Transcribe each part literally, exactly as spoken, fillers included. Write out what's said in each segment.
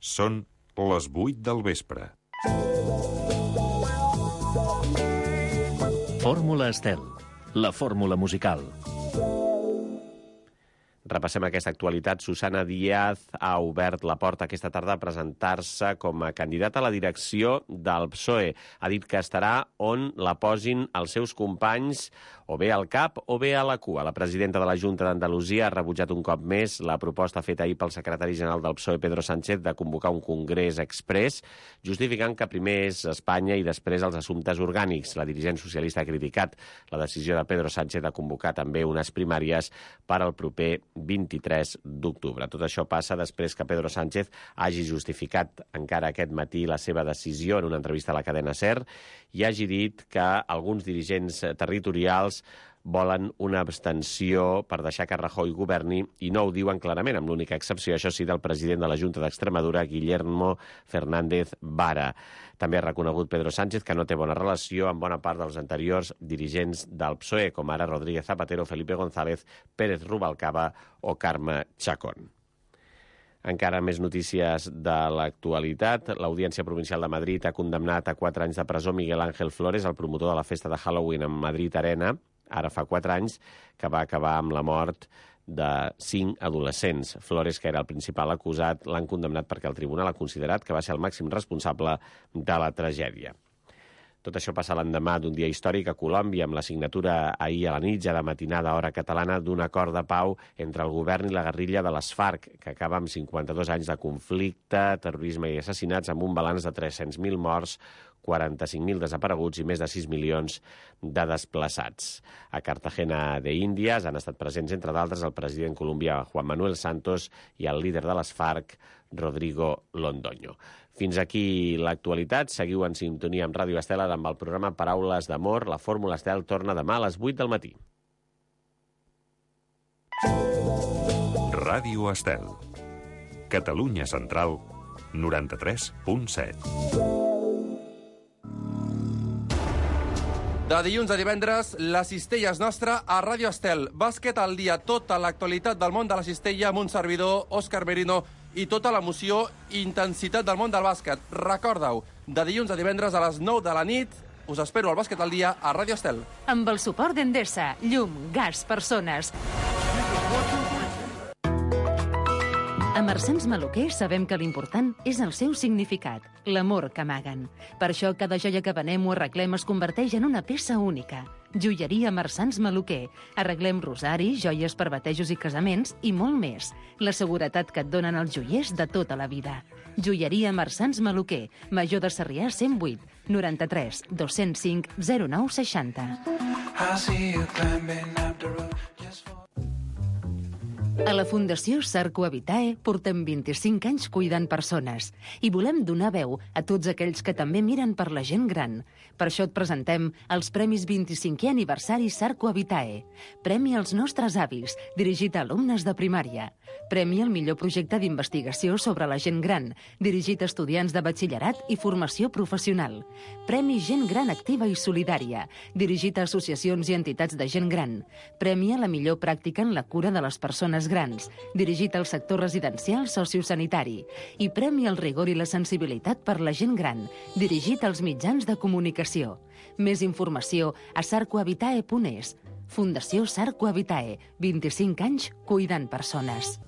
Són les vuit del vespre. Fórmula Estel, la fórmula musical. Repassem aquesta actualitat. Susana Díaz ha obert la porta aquesta tarda a presentar-se com a candidata a la direcció del P S O E. Ha dit que estarà on la posin els seus companys, o bé al cap o bé a la cua. La presidenta de la Junta d'Andalusia ha rebutjat un cop més la proposta feta ahir pel secretari general del P S O E, Pedro Sánchez, de convocar un congrés exprés, justificant que primer és Espanya i després els assumptes orgànics. La dirigent socialista ha criticat la decisió de Pedro Sánchez de convocar també unes primàries per al proper vint-i-tres d'octubre. Tot això passa després que Pedro Sánchez hagi justificat encara aquest matí la seva decisió en una entrevista a la cadena SER i hagi dit que alguns dirigents territorials volen una abstenció per deixar que Rajoy governi i no ho diuen clarament, amb l'única excepció, això sí, del president de la Junta d'Extremadura, Guillermo Fernández Vara. També ha reconegut Pedro Sánchez que no té bona relació amb bona part dels anteriors dirigents del P S O E, com ara Rodríguez Zapatero, Felipe González, Pérez Rubalcaba o Carme Chacón. Encara més notícies de l'actualitat. L'Audiència Provincial de Madrid ha condemnat a quatre anys de presó Miguel Ángel Flores, el promotor de la festa de Halloween en Madrid Arena, ara fa quatre anys, que va acabar amb la mort de cinc adolescents. Flores, que era el principal acusat, l'han condemnat perquè el tribunal ha considerat que va ser el màxim responsable de la tragèdia. Tot això passa l'endemà d'un dia històric a Colòmbia, amb la signatura ahir a la nit, ja de matinada hora catalana, d'un acord de pau entre el govern i la guerrilla de les FARC, que acaba amb cinquanta-dos anys de conflicte, terrorisme i assassinats, amb un balanç de tres-cents mil morts, quaranta-cinc mil desapareguts i més de sis milions de desplaçats. A Cartagena de Índies han estat presents, entre d'altres, el president colombià Juan Manuel Santos i el líder de les FARC, Rodrigo Londoño. Fins aquí l'actualitat. Seguiu en sintonia amb Ràdio Estel amb el programa Paraules d'Amor. La Fórmula Estel torna demà a les vuit del matí. Ràdio Estel. Catalunya Central, noranta-tres punt set. De dilluns a divendres, la cistella és nostra a Ràdio Estel. Bàsquet al dia, tota l'actualitat del món de la cistella amb un servidor, Òscar Merino, i tota l'emoció i intensitat del món del bàsquet. Recorda-ho, de dilluns a divendres a les nou de la nit, us espero al Bàsquet al dia a Ràdio Estel. Amb el suport d'Endesa, llum, gas, persones. A Marsans Maluquer sabem que l'important és el seu significat, l'amor que amaguen. Per això cada joia que venem o arreglem es converteix en una peça única. Joieria Marsans Maluquer. Arreglem rosaris, joies per batejos i casaments i molt més. La seguretat que et donen els joiers de tota la vida. Joieria Marsans Maluquer. Major de Sarrià cent vuit, noranta-tres, dos-cents cinc, zero nou seixanta. A la Fundació Sarco Habitae portem vint-i-cinc anys cuidant persones i volem donar veu a tots aquells que també miren per la gent gran. Per això et presentem els Premis vint-i-cinquè aniversari Sarco Habitae. Premi als nostres avis, dirigit a alumnes de primària. Premi al millor projecte d'investigació sobre la gent gran, dirigit a estudiants de batxillerat i formació professional. Premi Gent Gran Activa i Solidària, dirigit a associacions i entitats de gent gran. Premi a la millor pràctica en la cura de les persones grans, dirigit al sector residencial sociosanitari, i Premi al rigor i la sensibilitat per la gent gran, dirigit als mitjans de comunicació. Més informació a sarcohabitae punt es. Fundació Sarco Habitae, vint-i-cinc anys cuidant persones.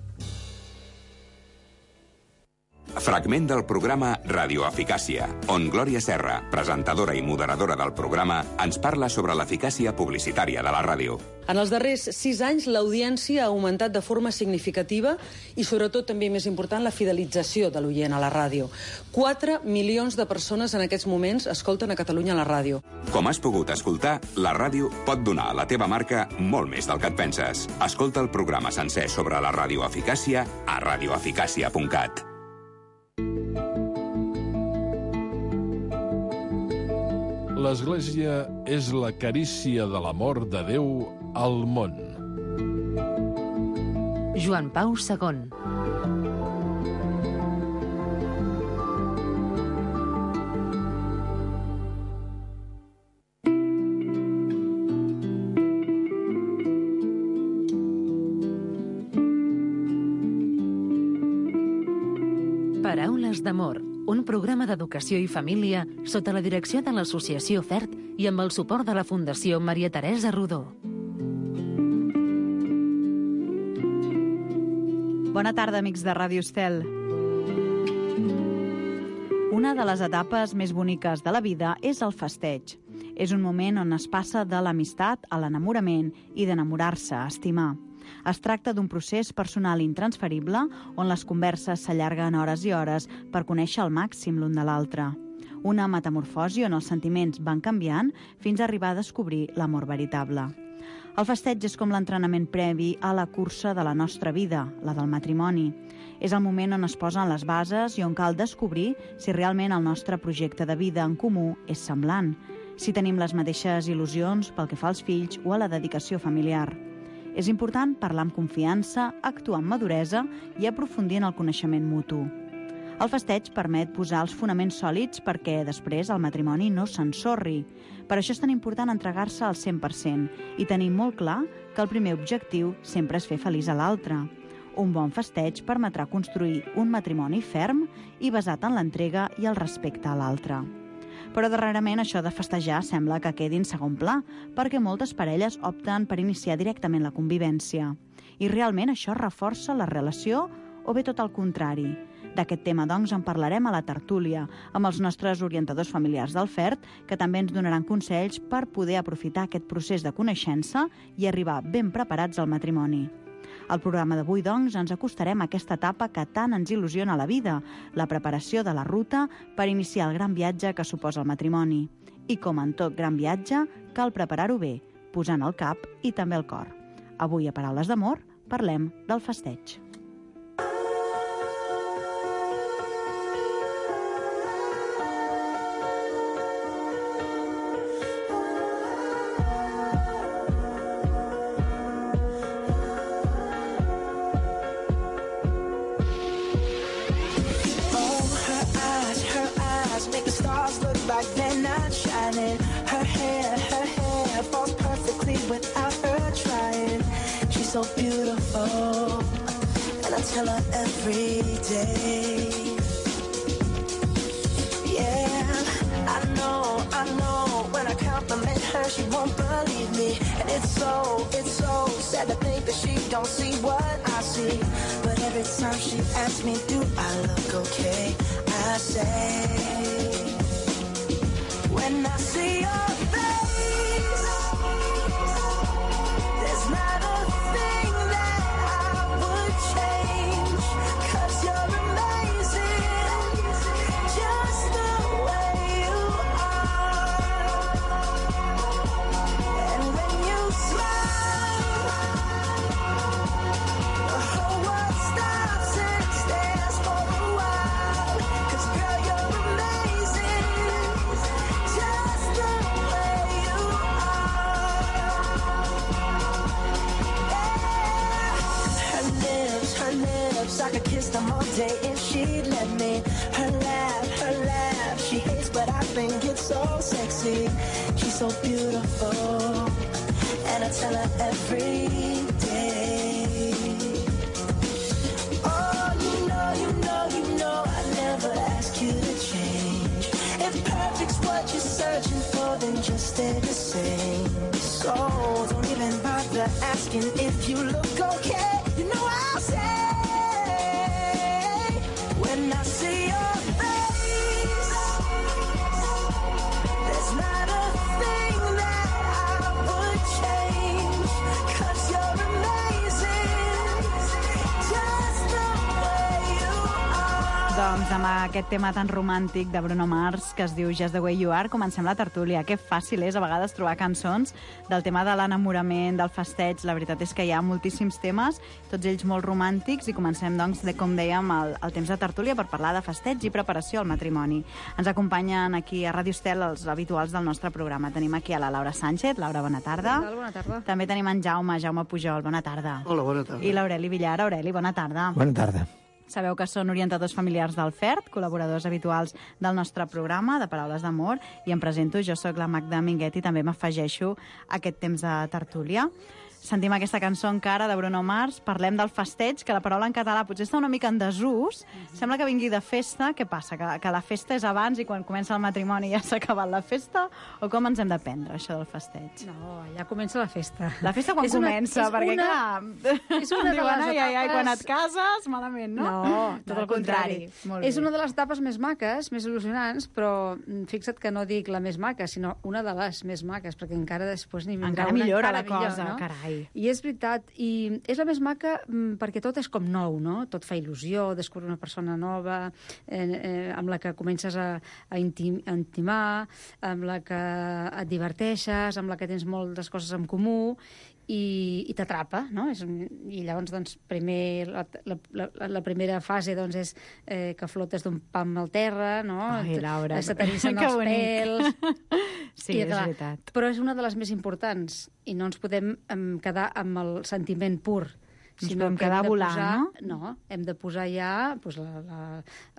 Fragment del programa Radioeficàcia, on Glòria Serra, presentadora i moderadora del programa, ens parla sobre l'eficàcia publicitària de la ràdio. En els darrers sis anys, l'audiència ha augmentat de forma significativa i, sobretot, també més important, la fidelització de l'oient a la ràdio. quatre milions de persones en aquests moments escolten a Catalunya a la ràdio. Com has pogut escoltar, la ràdio pot donar a la teva marca molt més del que et penses. Escolta el programa sencer sobre la radioeficàcia a radioeficàcia punt cat. L'Església és la carícia de l'amor de Déu al món. Joan Pau segon. Paraules d'amor, un programa d'educació i família sota la direcció de l'Associació FERT i amb el suport de la Fundació Maria Teresa Rodó. Bona tarda, amics de Ràdio Estel. Una de les etapes més boniques de la vida és el festeig. És un moment on es passa de l'amistat a l'enamorament i d'enamorar-se a estimar. Es tracta d'un procés personal intransferible on les converses s'allarguen hores i hores per conèixer al màxim l'un de l'altre. Una metamorfosi on els sentiments van canviant fins a arribar a descobrir l'amor veritable. El festeig és com l'entrenament previ a la cursa de la nostra vida, la del matrimoni. És el moment on es posen les bases i on cal descobrir si realment el nostre projecte de vida en comú és semblant, si tenim les mateixes il·lusions pel que fa als fills o a la dedicació familiar. És important parlar amb confiança, actuar amb maduresa i aprofundir en el coneixement mutu. El festeig permet posar els fonaments sòlids perquè després el matrimoni no s'ensorri. Per això és tan important entregar-se al cent per cent i tenir molt clar que el primer objectiu sempre és fer feliç a l'altre. Un bon festeig permetrà construir un matrimoni ferm i basat en l'entrega i el respecte a l'altre. Però darrerament això de festejar sembla que quedi en segon pla, perquè moltes parelles opten per iniciar directament la convivència. I realment això reforça la relació o bé tot el contrari? D'aquest tema, doncs, en parlarem a la tertúlia, amb els nostres orientadors familiars del FERT, que també ens donaran consells per poder aprofitar aquest procés de coneixença i arribar ben preparats al matrimoni. Al programa d'avui, doncs, ens acostarem a aquesta etapa que tant ens il·lusiona a la vida, la preparació de la ruta per iniciar el gran viatge que suposa el matrimoni. I com en tot gran viatge, cal preparar-ho bé, posant el cap i també el cor. Avui, a Paraules d'Amor, parlem del festeig. So beautiful, and I tell her every day. Yeah, I know, I know, when I compliment her, she won't believe me. And it's so, it's so sad to think that she don't see what I see. But every time she asks me, do I look okay, I say, when I see your face, there's not a thing that I would change, 'cause you're amazing, just the way you are. And when you smile, the whole world stops and stares for a while, 'cause girl, you're amazing, just the way you are. Her lips, her lips, I could kiss them all day if she'd let me. Her laugh, her laugh, she hates but I think it's so sexy. She's so beautiful, and I tell her every day. Oh, you know, you know, you know I never ask you to change. If perfect's what you're searching for, then just stay the same. So don't even bother asking if you look okay. You know I'll say, when I see your face, there's not a thing that I would change, 'cause you're amazing, just the way you are. Doncs amb aquest tema tan romàntic de Bruno Mars que es diu Just the Way You Are, comencem la tertúlia. Que fàcil és a vegades trobar cançons del tema de l'enamorament, del festeig. La veritat és que hi ha moltíssims temes, tots ells molt romàntics, i comencem, doncs, de, com dèiem, el, el temps de tertúlia per parlar de festeig i preparació al matrimoni. Ens acompanyen aquí a Ràdio Estel els habituals del nostre programa. Tenim aquí a la Laura Sánchez. Laura, bona tarda. Bona tarda. Bona tarda. També tenim en Jaume, Jaume Pujol. Bona tarda. Hola, bona tarda. I l'Aureli Villar. Aureli, bona tarda. Bona tarda. Sabeu que són orientadors familiars del FERT, col·laboradors habituals del nostre programa de Paraules d'Amor, i em presento, jo sóc la Magda Minguet i també m'afegeixo a aquest temps de tertúlia. Sentim aquesta cançó encara de Bruno Mars, parlem del festeig, que la paraula en català potser està una mica en desús. Mm-hmm. Sembla que vingui de festa. Què passa? Que, que la festa és abans i quan comença el matrimoni ja s'ha acabat la festa? O com ens hem de prendre, això del festeig? No, ja comença la festa. La festa quan és una, comença? és Perquè, una, clar, és una de diuen, les ai, ai, ai, etapes... quan et cases, malament, no? No, tot no, el contrari. contrari. És una de les etapes més maques, més il·lusionants, però fixa't que no dic la més maca, sinó una de les més maques, perquè encara després n'hi vindrà encara una millora encara la cosa, millor, no? carai. I és veritat, i és la més maca perquè tot és com nou, no? Tot fa il·lusió, descobrir una persona nova, eh, eh, amb la que comences a, a, intim, a intimar, amb la que et diverteixes, amb la que tens moltes coses en comú, i, i t'atrapa, no? És, i llavors, doncs, primer, la, la, la, la primera fase doncs, és eh, que flotes d'un pam al terra, no? Ai, Laura, se t'erissen els pèls... Sí, I, és clar, veritat. però és una de les més importants i no ens podem um, quedar amb el sentiment pur. Ens podem quedar volant, posar, no? No, hem de posar ja pues, la, la,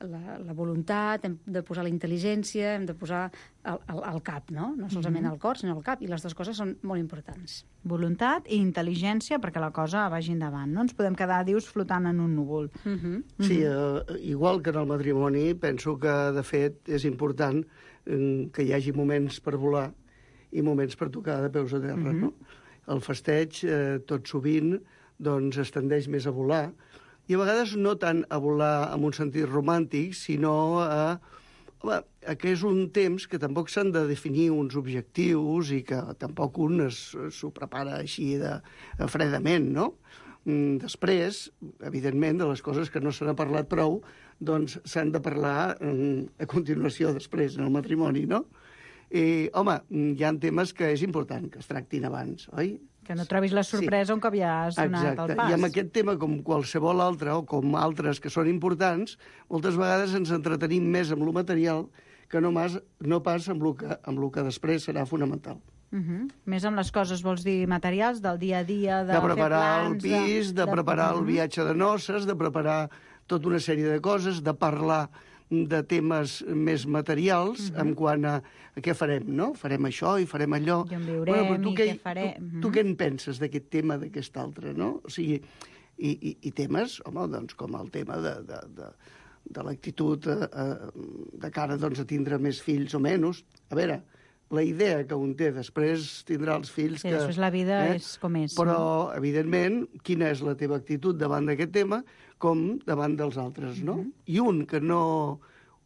la, la voluntat, hem de posar la intel·ligència, hem de posar el, el, el cap, no? No solament Mm-hmm. el cor, sinó el cap, i les dues coses són molt importants. Voluntat i intel·ligència perquè la cosa vagi endavant. No ens podem quedar, dius, flotant en un núvol. Mm-hmm. Sí, eh, igual que en el matrimoni, penso que, de fet, és important eh, que hi hagi moments per volar i moments per tocar de peus a terra, mm-hmm. no? El festeig, eh, tot sovint, doncs es tendeix més a volar, i a vegades no tant a volar en un sentit romàntic, sinó a, home, a que és un temps que tampoc s'han de definir uns objectius i que tampoc un s'ho prepara així de, de fredament, no? Després, evidentment, de les coses que no se n'ha parlat prou, doncs s'han de parlar a continuació després, en el matrimoni, no? I, home, hi ha temes que és important que es tractin abans, oi? Que no trobis la sorpresa sí. un cop ja has donat Exacte. el pas. I amb aquest tema, com qualsevol altre, o com altres que són importants, moltes vegades ens entretenim més amb lo material que no, mas, no pas amb lo que, amb lo que després serà fonamental. Uh -huh. Més amb les coses, vols dir, materials, del dia a dia, de, de preparar fer plans... el pis, de, de preparar de... el viatge de noces, de preparar tota una sèrie de coses, de parlar de temes més materials, uh -huh. en quant a, a què farem, no? Farem això i farem allò. I on viurem, bueno, i què, què farem. Tu, tu què en penses d'aquest tema, d'aquest altre, no? O sigui, i, i, i temes, home, doncs, com el tema de, de, de, de l'actitud eh, de cara doncs, a tindre més fills o menys. A veure, la idea que un té després tindrà els fills... Sí, que, després la vida eh? és com és. Però, no? evidentment, quina és la teva actitud davant d'aquest tema com davant dels altres, no? Mm-hmm. I un que no,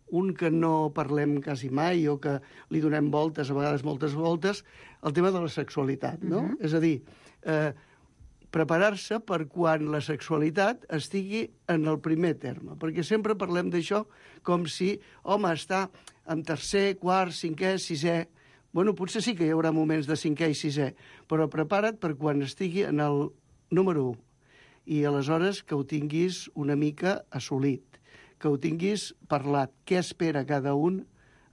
un que no parlem quasi mai o que li donem voltes, a vegades moltes voltes, el tema de la sexualitat, no? Mm-hmm. És a dir, eh, preparar-se per quan la sexualitat estigui en el primer terme, perquè sempre parlem d'això com si, home, està en tercer, quart, cinquè, sisè... Bueno, potser sí que hi haurà moments de cinquè i sisè, però prepara't per quan estigui en el número u. I aleshores que ho tinguis una mica assolit, que ho tinguis parlat, què espera cada un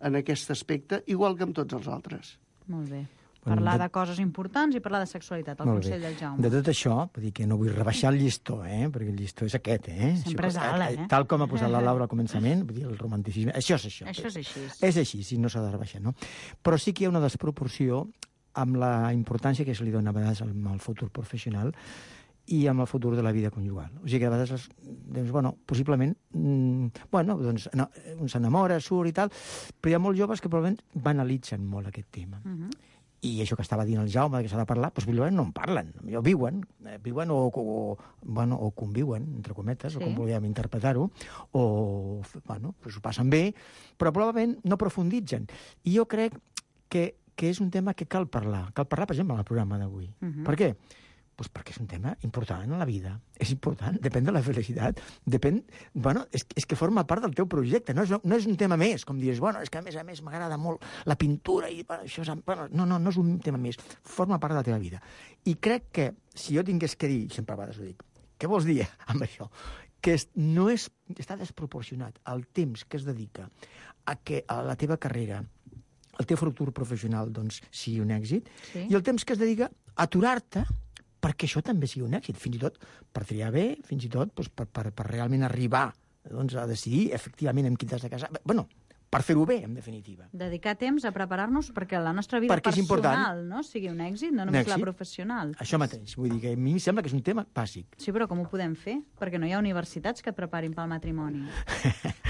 en aquest aspecte, igual que amb tots els altres. Molt bé. Parlar de coses importants i parlar de sexualitat, el consell del Jaume. De tot això, vull dir que no vull rebaixar el llistó, eh? Perquè el llistó és aquest, eh? Sempre és alt, eh? Tal com ha posat la Laura al començament, vull dir, el romanticisme... Això és això. Això és així. És així, si no s'ha de rebaixar, no? Però sí que hi ha una desproporció amb la importància que se li dona a vegades al futur professional i amb el futur de la vida conjugal. O sigui que a vegades, doncs, bueno, possiblement, mmm, bueno, doncs, no, un s'enamora, surt i tal, però hi ha molts joves que probablement banalitzen molt aquest tema. Uh -huh. I això que estava dient el Jaume, que s'ha de parlar, doncs possiblement no en parlen. O viuen, eh, viuen o, o, bueno, o conviuen, entre cometes, sí. o com volíem interpretar-ho, o, bueno, doncs ho passen bé, però probablement no profunditzen. I jo crec que, que és un tema que cal parlar. Cal parlar, per exemple, en el programa d'avui. Uh -huh. Per què? Pues perquè és un tema important en la vida. És important, depèn de la felicitat. Depèn, bueno, és, és que forma part del teu projecte. No és, no és un tema més, com dius, bueno, és que a més a més m'agrada molt la pintura i bueno, això és... Bueno, no, no, no és un tema més. Forma part de la teva vida. I crec que si jo tingués que dir, sempre a vegades ho dic, què vols dir amb això? Que no és, està desproporcionat el temps que es dedica a que a la teva carrera, el teu futur professional, doncs, sigui un èxit, sí. i el temps que es dedica a aturar-te perquè això també sigui un èxit, fins i tot per triar bé, fins i tot doncs, per, per, per realment arribar doncs, a decidir efectivament amb qui t'has de casar. Bueno, per fer-ho bé, en definitiva. Dedicar temps a preparar-nos perquè la nostra vida Perquè és personal no? sigui un èxit, no només èxit. la professional. Això mateix, vull dir que a mi em sembla que és un tema bàsic. Sí, però com ho podem fer? Perquè no hi ha universitats que et preparin pel matrimoni.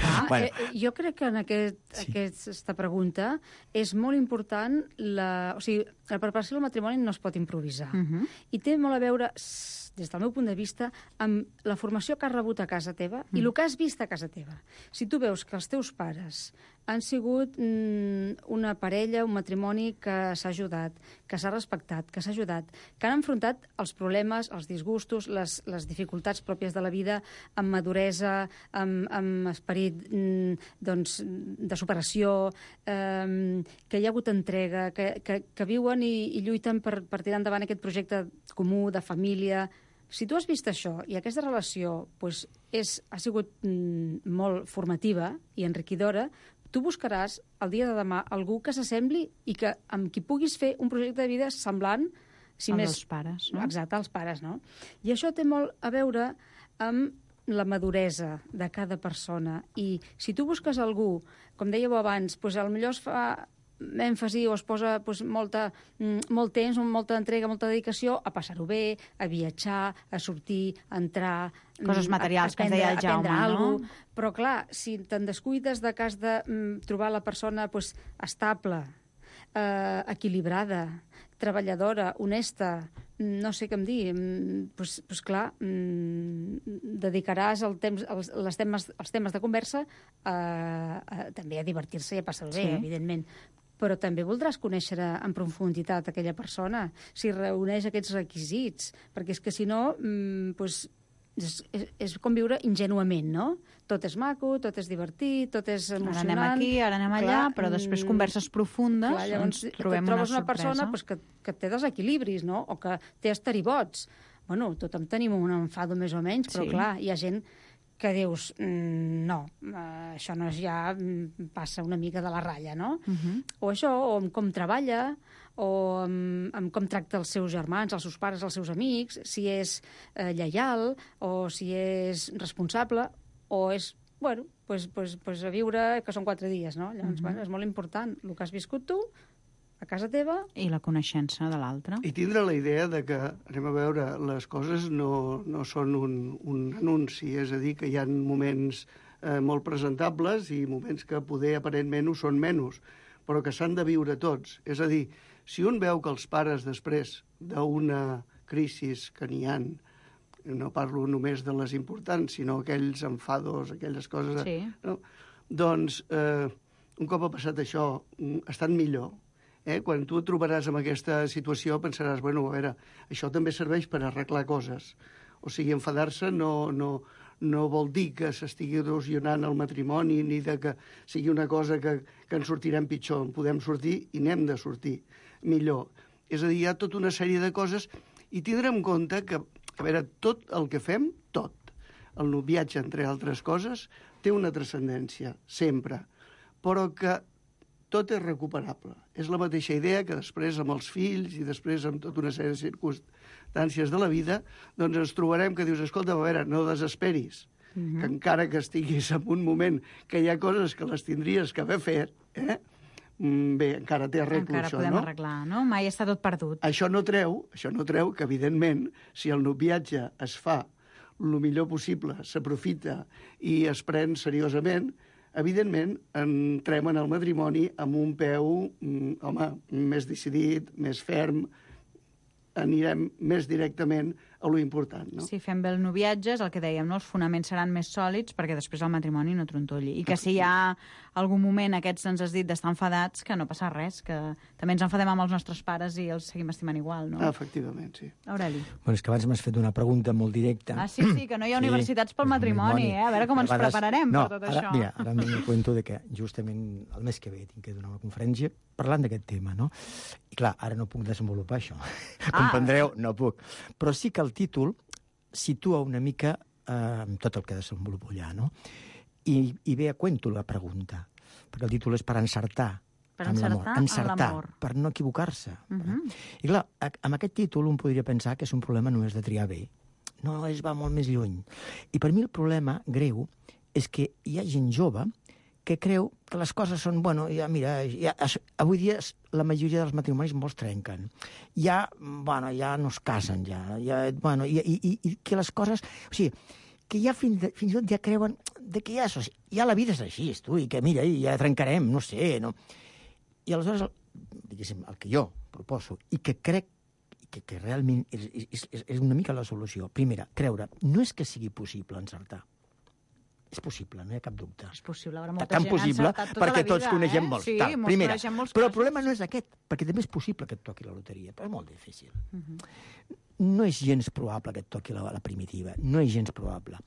Ah, Bueno. eh, jo crec que en aquest, Sí. aquesta pregunta és molt important la... O sigui, la preparació del matrimoni no es pot improvisar. Uh -huh. I té molt a veure, s- des del meu punt de vista, amb la formació que has rebut a casa teva i el que has vist a casa teva. Si tu veus que els teus pares han sigut mm, una parella, un matrimoni que s'ha ajudat, que s'ha respectat, que s'ha ajudat, que han enfrontat els problemes, els disgustos, les, les dificultats pròpies de la vida amb maduresa, amb, amb esperit mm, doncs, de superació, eh, que hi ha hagut entrega, que, que, que viuen i, i lluiten per, per tirar endavant aquest projecte comú de família. Si tu has vist això i aquesta relació pues, és, ha sigut mm, molt formativa i enriquidora, tu buscaràs el dia de demà algú que s'assembli i que amb qui puguis fer un projecte de vida semblant, si Amb més... els pares, no? Exacte, els pares, no? I això té molt a veure amb la maduresa de cada persona. I si tu busques algú, com dèieu abans, doncs potser es fa èmfasi o es posa doncs, molta, molt temps, molta entrega, molta dedicació a passar-ho bé, a viatjar, a sortir, a entrar... Coses materials, a, a que ens aprendre, deia el Jaume, aprendre no? alguna cosa. Però, clar, si te'n descuides de cas de mm, trobar la persona doncs, estable, eh, equilibrada, treballadora, honesta, no sé què em dir, doncs, doncs clar, dedicaràs el temps, els, les temes, els temes de conversa a, a, també a divertir-se i a passar-ho bé, Sí. evidentment. Però també voldràs conèixer en profunditat aquella persona, si reuneix aquests requisits, perquè és que si no, doncs, és, és, és com viure ingenuament, no? Tot és maco, tot és divertit, tot és emocionant... Ara anem aquí, ara anem allà, clar, però després mm, converses profundes, clar, llavors, ens trobem et trobes una una, persona sorpresa. pues, que, que té desequilibris, no? O que té esteribots. Bueno, tothom tenim un enfado més o menys, però Sí. clar, hi ha gent que dius, mm, no, eh, això no és ja, mm, passa una mica de la ratlla, no? Uh -huh. O això, o amb com treballa, o amb, amb com tracta els seus germans, els seus pares, els seus amics, si és eh, lleial, o si és responsable, o és, bueno, pues, pues, pues a viure, que són quatre dies, no? Llavors, Mhm. bueno, és molt important el que has viscut tu, a casa teva... I la coneixença de l'altre. I tindre la idea de que, anem a veure, les coses no, no són un, un anunci, és a dir, que hi ha moments eh, molt presentables i moments que poder aparentment ho són menys, però que s'han de viure tots. És a dir, si un veu que els pares després d'una crisi que n'hi ha, no parlo només de les importants, sinó aquells enfados, aquelles coses... Sí. No? Doncs, eh, un cop ha passat això, estan millor. Eh? Quan tu et trobaràs en aquesta situació pensaràs, bueno, a veure, això també serveix per arreglar coses. O sigui, enfadar-se no, no, no vol dir que s'estigui erosionant el matrimoni ni de que sigui una cosa que, que en sortirem pitjor. En podem sortir i n'hem de sortir millor. És a dir, hi ha tota una sèrie de coses i tindrem en compte que, a veure, tot el que fem, tot, el noviatge, entre altres coses, té una transcendència, sempre, però que tot és recuperable. És la mateixa idea que després amb els fills i després amb tota una sèrie de circumstàncies de la vida, doncs ens trobarem que dius, escolta, a veure, no desesperis, Mhm. que encara que estiguis en un moment que hi ha coses que les tindries que haver fet, eh? Mm, bé, encara té arreglo Encara això, podem no? arreglar, no? Mai està tot perdut. Això no treu, això no treu que, evidentment, si el noviatge es fa el millor possible, s'aprofita i es pren seriosament, evidentment, entrem en el matrimoni amb un peu, mm, home, més decidit, més ferm, anirem més directament a lo important, no? Si fem bé el noviatge, és el que dèiem, no? Els fonaments seran més sòlids perquè després el matrimoni no trontolli. I que si hi ha algun moment, aquests ens has dit, d'estar enfadats, que no passa res, que també ens enfadem amb els nostres pares i els seguim estimant igual, no? Ah, efectivament, sí. Aureli. Bueno, és que abans m'has fet una pregunta molt directa. Ah, sí, sí, que no hi ha universitats pel matrimoni, eh? A veure com ens A vegades- prepararem no, per tot ara, això. Mira, ara em cuento de que justament el mes que ve tinc que donar una conferència parlant d'aquest tema, no? I clar, ara no puc desenvolupar això. Ah. Comprendreu? No puc. Però sí que el títol situa una mica eh, tot el que desenvolupo allà, no? I, i ve a cuento la pregunta, perquè el títol és per encertar Per amb l'amor. encertar amb Encertar, l'amor. per no equivocar-se. Uh -huh. I clar, a- amb aquest títol un podria pensar que és un problema només de triar bé. No, es va molt més lluny. I per mi el problema greu és que hi ha gent jove que creu que les coses són, bueno, ja, mira, ja, avui dia la majoria dels matrimonis molts trenquen. Ja, bueno, ja no es casen, ja, ja bueno, i, i, i que les coses... O sigui, que ja fins, de, fins i tot ja creuen de que ja, ja la vida és així, tu, i que mira, ja trencarem, no sé, no? I aleshores, diguéssim, el que jo proposo, i que crec que, que realment és, és, és una mica la solució, primera, creure, no és que sigui possible encertar, és possible, no hi ha cap dubte. És possible, ara molta tan gent possible, ha encertat tota perquè la vida, tots coneixem eh? molts. Sí, Tal, molts primera. coneixem molts Però el casos. problema no és aquest, perquè també és possible que et toqui la loteria, però és molt difícil. Uh -huh. No és gens probable que et toqui la, la primitiva, no és gens probable.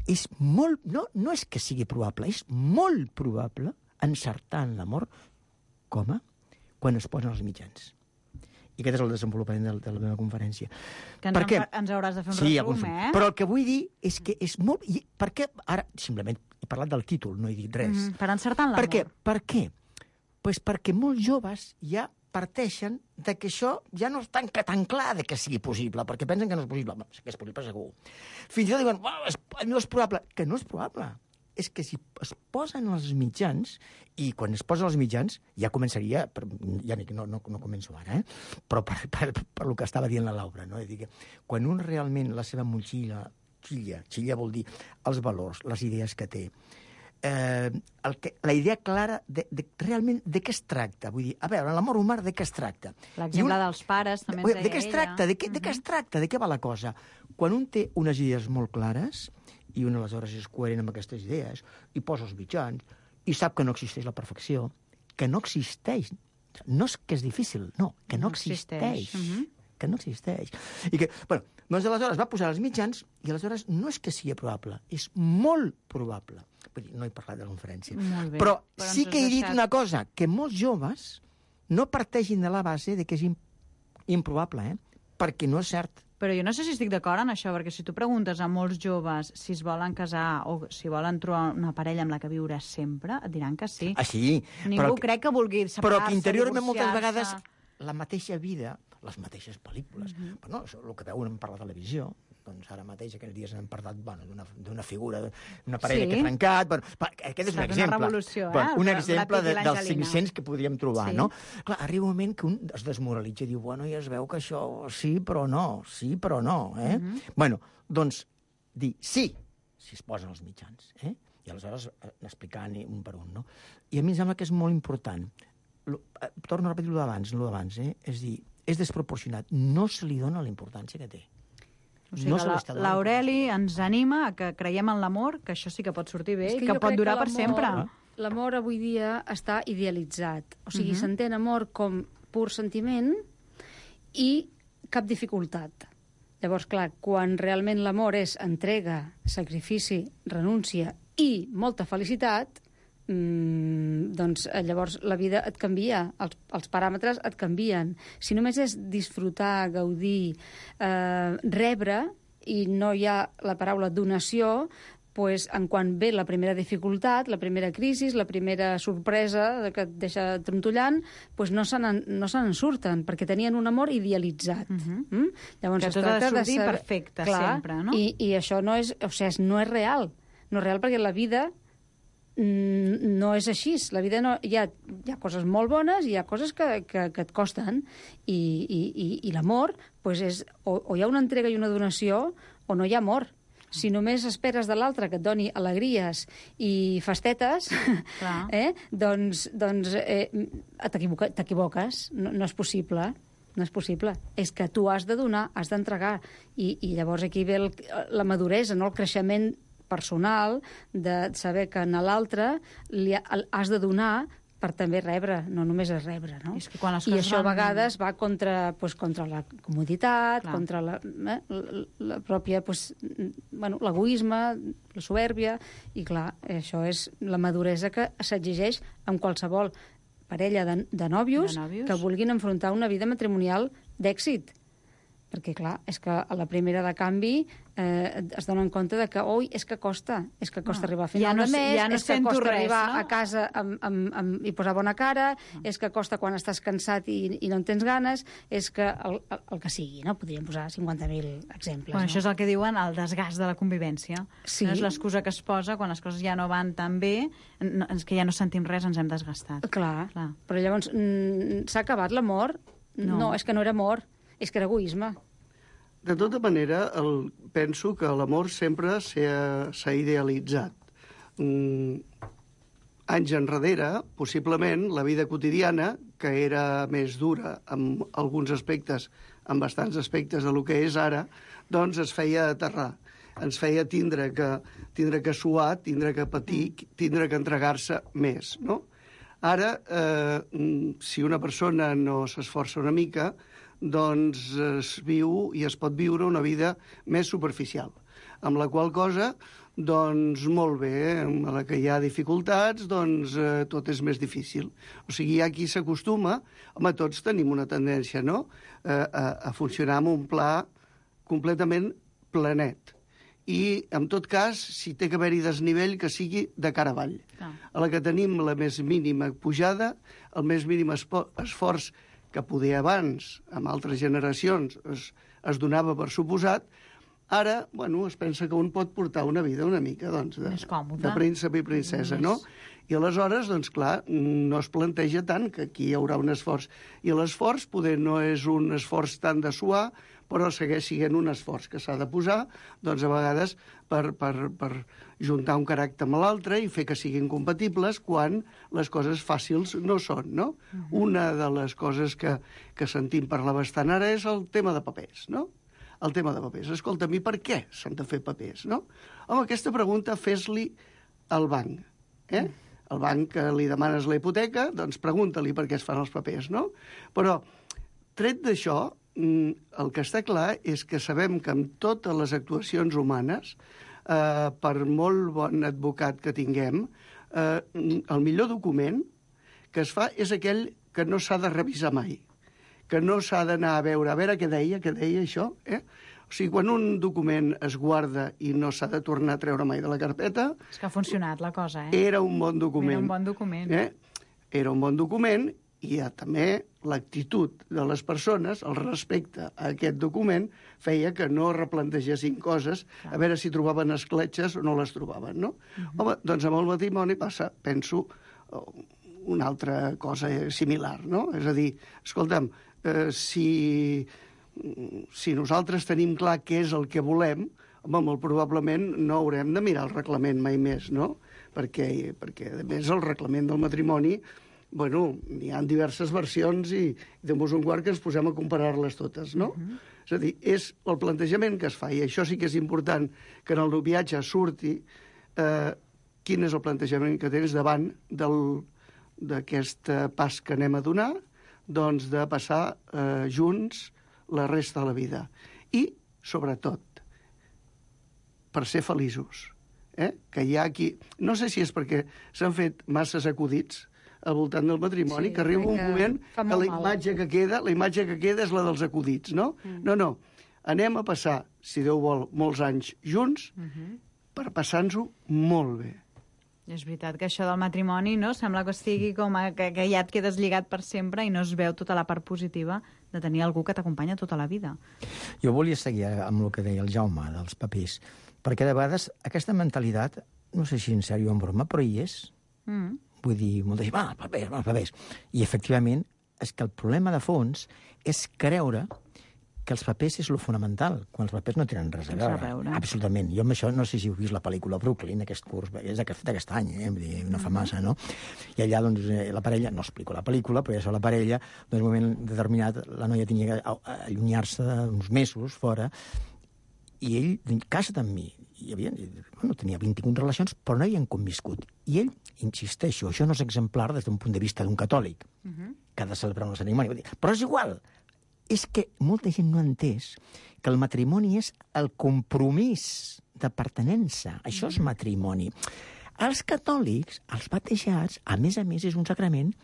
És molt, no, no és que sigui probable, és molt probable encertar en l'amor com a quan es posen els mitjans. I aquest és el desenvolupament de, de la meva conferència. Que ens, per què? ens hauràs de fer un sí, resum, eh? Però el que vull dir és que és molt... I per què ara, simplement, he parlat del títol, no he dit res. Mm -hmm, per encertar en l'amor. Per què? Per què? Pues perquè molts joves ja parteixen de que això ja no és tan, tan clar de que sigui possible, perquè pensen que no és possible. Bueno, que és possible segur. Fins i tot diuen, oh, és, no és probable. Que no és probable. És que si es posen els mitjans, i quan es posen els mitjans, ja començaria, per, ja no, no, no començo ara, eh? però per, per, per, per el que estava dient la Laura, no? És dir, que quan un realment la seva motxilla, xilla, xilla vol dir els valors, les idees que té, eh, el que, la idea clara de, de realment de què es tracta. Vull dir, a veure, l'amor humà de què es tracta? L'exemple un... dels pares també ens deia de què es tracta? De què, ella. de què es tracta? De què va la cosa? Quan un té unes idees molt clares, i un aleshores és coherent amb aquestes idees, i posa els mitjans, i sap que no existeix la perfecció, que no existeix. No és que és difícil, no, que no, no existeix. existeix. Uh -huh. Que no existeix. I que, bueno, doncs aleshores va posar els mitjans, i aleshores no és que sigui probable, és molt probable. Vull dir, no he parlat de la conferència. Molt bé, però, però sí que he dit deixat... una cosa, que molts joves no parteixin de la base de que és improbable, eh? Perquè no és cert. Però jo no sé si estic d'acord en això, perquè si tu preguntes a molts joves si es volen casar o si volen trobar una parella amb la que viure sempre, et diran que sí. Ah, sí. Ningú però, crec que vulgui separar-se, Però que interiorment moltes divorciar-se. vegades la mateixa vida, les mateixes pel·lícules, uh -huh. però no, això, el que veuen per la televisió, doncs ara mateix aquests dies hem parlat bueno, d'una figura, d'una parella sí. que ha trencat... Bueno, aquest és un exemple. Una revolució, eh? Bueno, un el exemple de, dels l'Angelina. cinc-cents que podríem trobar, sí. no? Clar, arriba un moment que un es desmoralitza i diu, bueno, ja es veu que això sí, però no, sí, però no, eh? Uh -huh. Bueno, doncs, dir sí, si es posen els mitjans, eh? I aleshores explicant un per un, no? I a mi em sembla que és molt important. Lo, eh, torno a repetir-ho d'abans, no d'abans, eh? És dir, és desproporcionat. No se li dona la importància que té. O sigui, no que l'Aureli ens anima a que creiem en l'amor, que això sí que pot sortir bé, que i que pot durar que per sempre. L'amor avui dia està idealitzat. O sigui, Uh-huh. s'entén amor com pur sentiment i cap dificultat. Llavors, clar, quan realment l'amor és entrega, sacrifici, renúncia i molta felicitat, mmm, doncs llavors la vida et canvia, els, els paràmetres et canvien. Si només és disfrutar, gaudir, eh, rebre, i no hi ha la paraula donació, pues, en quan ve la primera dificultat, la primera crisi, la primera sorpresa que et deixa trontollant, pues no se n'en no se n'en surten, perquè tenien un amor idealitzat. Uh-huh. mm? Llavors, que es tot ha de tracta sortir saber... perfecte, Clar, sempre, no? I, I això no és, o sigui, no és real. No és real perquè la vida mm, no és així. La vida no... Hi ha, hi ha coses molt bones i hi ha coses que, que, que et costen. I, i, i, i l'amor, pues és, o, o hi ha una entrega i una donació o no hi ha amor. Si només esperes de l'altre que et doni alegries i festetes, eh, doncs, doncs eh, t'equivoques. No, no és possible. No és possible. És que tu has de donar, has d'entregar. I, I llavors aquí ve el, la maduresa, no? El creixement personal de saber que a l'altre li ha, has de donar per també rebre, no només és rebre, no? És que quan les I coses això a van... vegades va contra, pues, contra la comoditat, Clar. contra la, eh, la, la pròpia, pues, bueno, l'egoisme, la supèrbia, i clar, això és la maduresa que s'exigeix amb qualsevol parella de, de, nòvios de nòvios que vulguin enfrontar una vida matrimonial d'èxit. perquè, clar, és que a la primera de canvi eh, es donen compte de que, oi, és que costa, és que costa Ah, arribar a final ja no- de mes, ja no és que sento costa res, arribar no? a casa amb, amb, amb, i posar bona cara, Ah. és que costa quan estàs cansat i, i no en tens ganes, és que el, el, el que sigui, no? Podríem posar cinquanta mil exemples. Bueno, no? això és el que diuen el desgast de la convivència. Sí. No és l'excusa que es posa quan les coses ja no van tan bé, no, és que ja no sentim res, ens hem desgastat. Clar, Clar. però llavors mm, s'ha acabat l'amor? No. no, és que no era amor, és que era egoisme. De tota manera, el, penso que l'amor sempre s'ha s'ha idealitzat. Mm, anys enrere, possiblement, la vida quotidiana, que era més dura en alguns aspectes, en bastants aspectes de lo que és ara, doncs es feia aterrar. Ens feia tindre que, tindre que suar, tindre que patir, tindre que entregar-se més, no? Ara, eh, si una persona no s'esforça una mica, doncs es viu i es pot viure una vida més superficial, amb la qual cosa, doncs molt bé, a la que hi ha dificultats, doncs eh, tot és més difícil. O sigui, hi ha qui s'acostuma, home, tots tenim una tendència, no?, eh, a, a funcionar amb un pla completament planet. I, en tot cas, si té que haver-hi desnivell, que sigui de cara avall. Ah. A la que tenim la més mínima pujada, el més mínim espo- esforç que poder abans, amb altres generacions, es, es donava per suposat, ara, bueno, es pensa que un pot portar una vida una mica, doncs, de, Més còmode. de príncep i princesa, Més. no? I aleshores, doncs, clar, no es planteja tant que aquí hi haurà un esforç. I l'esforç poder no és un esforç tant de suar, però segueix sent un esforç que s'ha de posar, doncs, a vegades, per, per, per juntar un caràcter amb l'altre i fer que siguin compatibles quan les coses fàcils no són, no? Uh-huh. Una de les coses que, que sentim parlar bastant ara és el tema de papers, no? El tema de papers. Escolta'm, i per què s'han de fer papers, no? Home, aquesta pregunta fes-li al banc, eh? El banc que li demanes la hipoteca, doncs pregunta-li per què es fan els papers, no? Però, tret d'això, el que està clar és que sabem que amb totes les actuacions humanes, eh, per molt bon advocat que tinguem, eh, el millor document que es fa és aquell que no s'ha de revisar mai, que no s'ha d'anar a veure, a veure què deia, què deia això, eh? O sigui, quan un document es guarda i no s'ha de tornar a treure mai de la carpeta... És que ha funcionat la cosa, eh? Era un bon document. Era un bon document. Eh? Era un bon document i hi ha també l'actitud de les persones, el respecte a aquest document, feia que no replantegessin coses, a veure si trobaven escletxes o no les trobaven, no? Uh-huh. Home, doncs amb el matrimoni passa, penso, una altra cosa similar, no? És a dir, escolta'm, eh, si, si nosaltres tenim clar què és el que volem, home, molt probablement no haurem de mirar el reglament mai més, no? Perquè, perquè a més, el reglament del matrimoni, bueno, hi ha diverses versions i de mos un quart que ens posem a comparar-les totes, no? Uh-huh. És a dir, és el plantejament que es fa, i això sí que és important que en el viatge surti eh, quin és el plantejament que tens davant del, d'aquest pas que anem a donar, doncs de passar eh, junts la resta de la vida. I, sobretot, per ser feliços. Eh? Que hi ha aquí... No sé si és perquè s'han fet masses acudits al voltant del matrimoni, sí, que arriba un moment que la imatge que queda, la imatge que queda és la dels acudits, no? Mm. No, no. Anem a passar, si Déu vol, molts anys junts mm-hmm. per passar-nos-ho molt bé. És veritat que això del matrimoni, no? Sembla que estigui com a, que, que ja et quedes lligat per sempre i no es veu tota la part positiva de tenir algú que t'acompanya tota la vida. Jo volia seguir amb el que deia el Jaume, dels papers, perquè de vegades aquesta mentalitat, no sé si en sèrio o en broma, però hi és. Mm. Vull dir, molta gent, va, els papers, va, els papers. I, efectivament, és que el problema de fons és creure que els papers és lo fonamental, quan els papers no tenen res a veure. a veure. Absolutament. Jo amb això no sé si heu vist la pel·lícula Brooklyn, aquest curs, és d'aquest any, eh? Vull dir, no fa massa, no? I allà, doncs, la parella, no explico la pel·lícula, però ja so la parella, doncs, en un moment determinat, la noia tenia que allunyar-se uns mesos fora, i ell, casa't amb mi. I havia, bueno, tenia vint-i-un relacions, però no hi havien conviscut. I ell, insisteixo, això no és exemplar des d'un punt de vista d'un catòlic, uh-huh. que ha de celebrar un cerimoni. Però és igual. És que molta gent no ha entès que el matrimoni és el compromís de pertenença. Això és matrimoni. Els catòlics, els batejats, a més a més, és un sacrament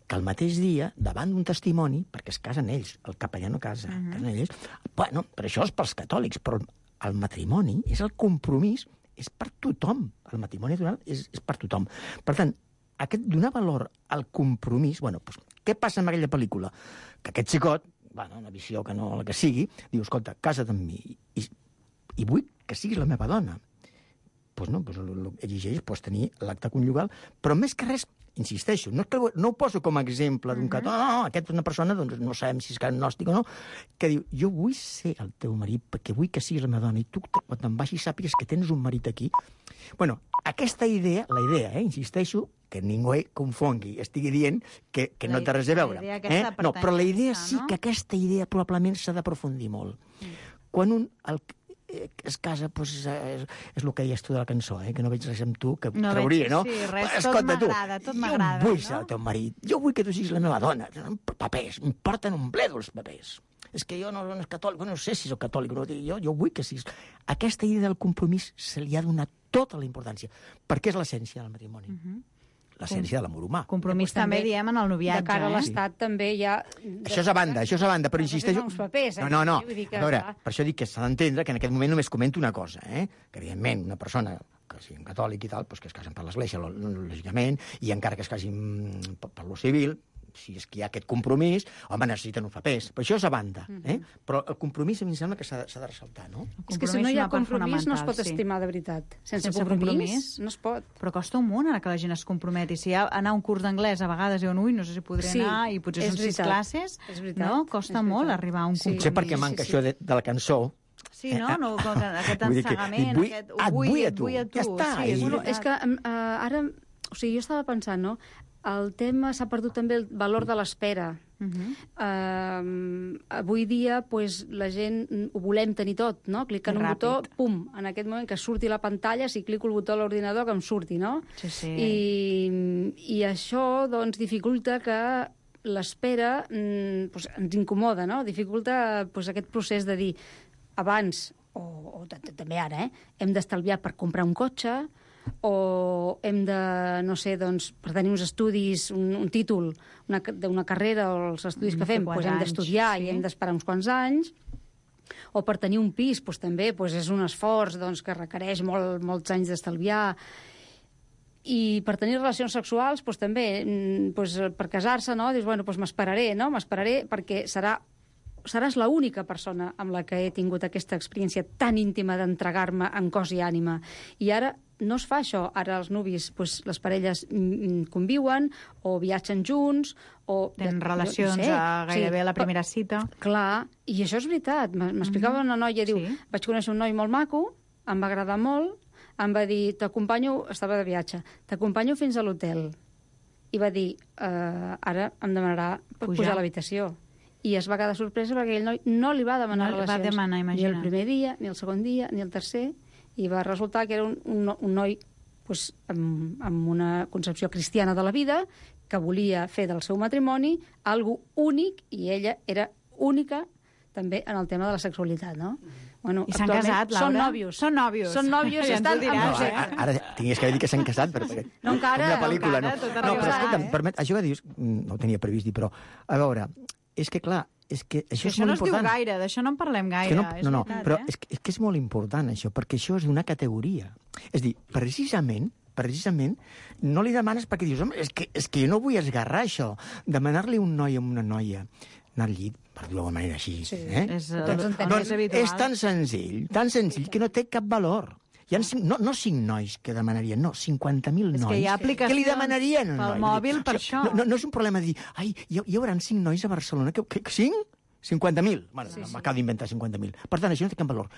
que el mateix dia, davant d'un testimoni, perquè es casen ells, el capellà no casa, uh-huh. casen ells, bueno, però això és pels catòlics, però el matrimoni és el compromís, és per tothom. El matrimoni és, és per tothom. Per tant, aquest donar valor al compromís... Bueno, doncs, què passa amb aquella pel·lícula? Que aquest xicot, bueno, una visió que no la que sigui, diu, escolta, casa't amb mi i, i vull que siguis la meva dona. Doncs pues no, pues exigeix pues, tenir l'acte conjugal, però més que res, insisteixo, no, que, no ho poso com a exemple d'un cató, no, no, aquest és una persona, doncs no sabem si és agnòstic o no, que diu, jo vull ser el teu marit perquè vull que siguis la meva dona i tu quan te'n vagis sàpigues que tens un marit aquí. Bueno, aquesta idea, la idea, eh, insisteixo, que ningú confongui, estigui dient que, que no té res a veure. Eh? No, però la idea sí que aquesta idea probablement s'ha d'aprofundir molt. Mm. Quan un... El, es casa, doncs, és, és el que deies tu de la cançó, eh? Que no veig res amb tu, que no trauria, no? Sí, res, escolta, tot m'agrada, tot m'agrada. Jo vull no? ser el teu marit, jo vull que tu siguis la meva dona. Papers, em porten un bledo els papers. És que jo no, no és catòlic, no sé si soc catòlic, no, jo, jo vull que siguis... Aquesta idea del compromís se li ha donat tota la importància, perquè és l'essència del matrimoni. Uh-huh. L'essència de l'amor humà. Compromís també, també diem en el noviatge. De cara a l'Estat eh? també hi ha... Això és a banda, això és a banda, però insisteixo... Papers, eh? No, no, no. Que, a veure, per això dic que s'ha d'entendre que en aquest moment només comento una cosa, eh? Que evidentment una persona que sigui un catòlic i tal, doncs que es casen per l'Església, lògicament, i encara que es casin per lo civil, si és que hi ha aquest compromís, home, necessiten uns papers. Però això és a banda. Eh? Però el compromís a mi em sembla que s'ha de, de ressaltar, no? És que si no hi ha compromís no es pot estimar de veritat. Sense, Sense compromís, compromís no es pot. Però costa un munt ara que la gent es comprometi. Si hi ha anar a un curs d'anglès a vegades diuen, ui, no sé si podré sí, anar, i potser són sis classes, no? Costa molt arribar a un compromís. Potser perquè manca sí, sí. això de, de la cançó. Sí, no? no aquest ensagament, vull, aquest ho vull, et vull a tu. Ja està. Sí, és, bueno, és que uh, ara... O sigui, jo estava pensant, no? El tema s'ha perdut també el valor de l'espera. Uh-huh. Uh, avui dia, pues, la gent ho volem tenir tot, no? Clicant un botó, pum, en aquest moment que surti la pantalla, si clico el botó a l'ordinador, que em surti, no? Sí, sí. I, i això, doncs, dificulta que l'espera mm, pues, ens incomoda, no? Dificulta pues, aquest procés de dir, abans, o, o també ara, eh, hem d'estalviar per comprar un cotxe, o hem de, no sé, doncs, per tenir uns estudis, un, un títol una, d'una carrera o els estudis que fem, doncs hem d'estudiar sí. i hem d'esperar uns quants anys, o per tenir un pis, doncs també doncs és un esforç doncs, que requereix molt, molts anys d'estalviar, i per tenir relacions sexuals, doncs també, doncs, per casar-se, no? Dius, bueno, doncs m'esperaré, no? M'esperaré perquè serà seràs l'única persona amb la que he tingut aquesta experiència tan íntima d'entregar-me en cos i ànima. I ara no es fa això. Ara els nuvis, doncs, les parelles conviuen o viatgen junts o... Tenen relacions no sé, a gairebé sí, a la primera cita. Clar, i això és veritat. M'explicava mm-hmm. una noia, diu, sí. vaig conèixer un noi molt maco, em va agradar molt, em va dir, t'acompanyo, estava de viatge, t'acompanyo fins a l'hotel. I va dir, uh, ara em demanarà pujar, pujar a l'habitació. I es va quedar sorpresa perquè aquell noi no li va demanar no relacions. Va demanar, ni el primer dia, ni el segon dia, ni el tercer, i va resultar que era un, un, un noi pues, amb, amb una concepció cristiana de la vida, que volia fer del seu matrimoni algo únic, i ella era única també en el tema de la sexualitat, no? Bueno, I s'han casat, Laura? Són nòvios. Són nòvios. Són nòvios i estan... diràs, amb... eh? Ara, ara tingués que dir que s'han casat, però... No, encara. Una pel·lícula, no, no. encara, No, però escolta'm, eh? permet, això que dius, no ho tenia previst dir, però, a veure, és que, clar, és que això, això és molt no es important. diu gaire, d'això no en parlem gaire. Que no, és no, no, veritat, però eh? és, que, és que és molt important, això, perquè això és d'una categoria. És dir, precisament, precisament, no li demanes perquè dius, home, és que, és que jo no vull esgarrar això, demanar-li un noi a una noia, anar al llit, per dir-ho d'una manera així, sí, eh? És, doncs, doncs és tan senzill, tan senzill, que no té cap valor. Hi ha cinc, no, no cinc nois que demanarien, no, cinquanta mil nois. És que hi ha aplicacions que li demanarien un pel noi. mòbil per o sigui, això. No, no, no és un problema de dir, ai, hi, hi haurà cinc nois a Barcelona. Que, que, cinc? cinquanta mil. Bueno, sí, m'acabo sí. d'inventar cinquanta mil. Per tant, això no té cap valor.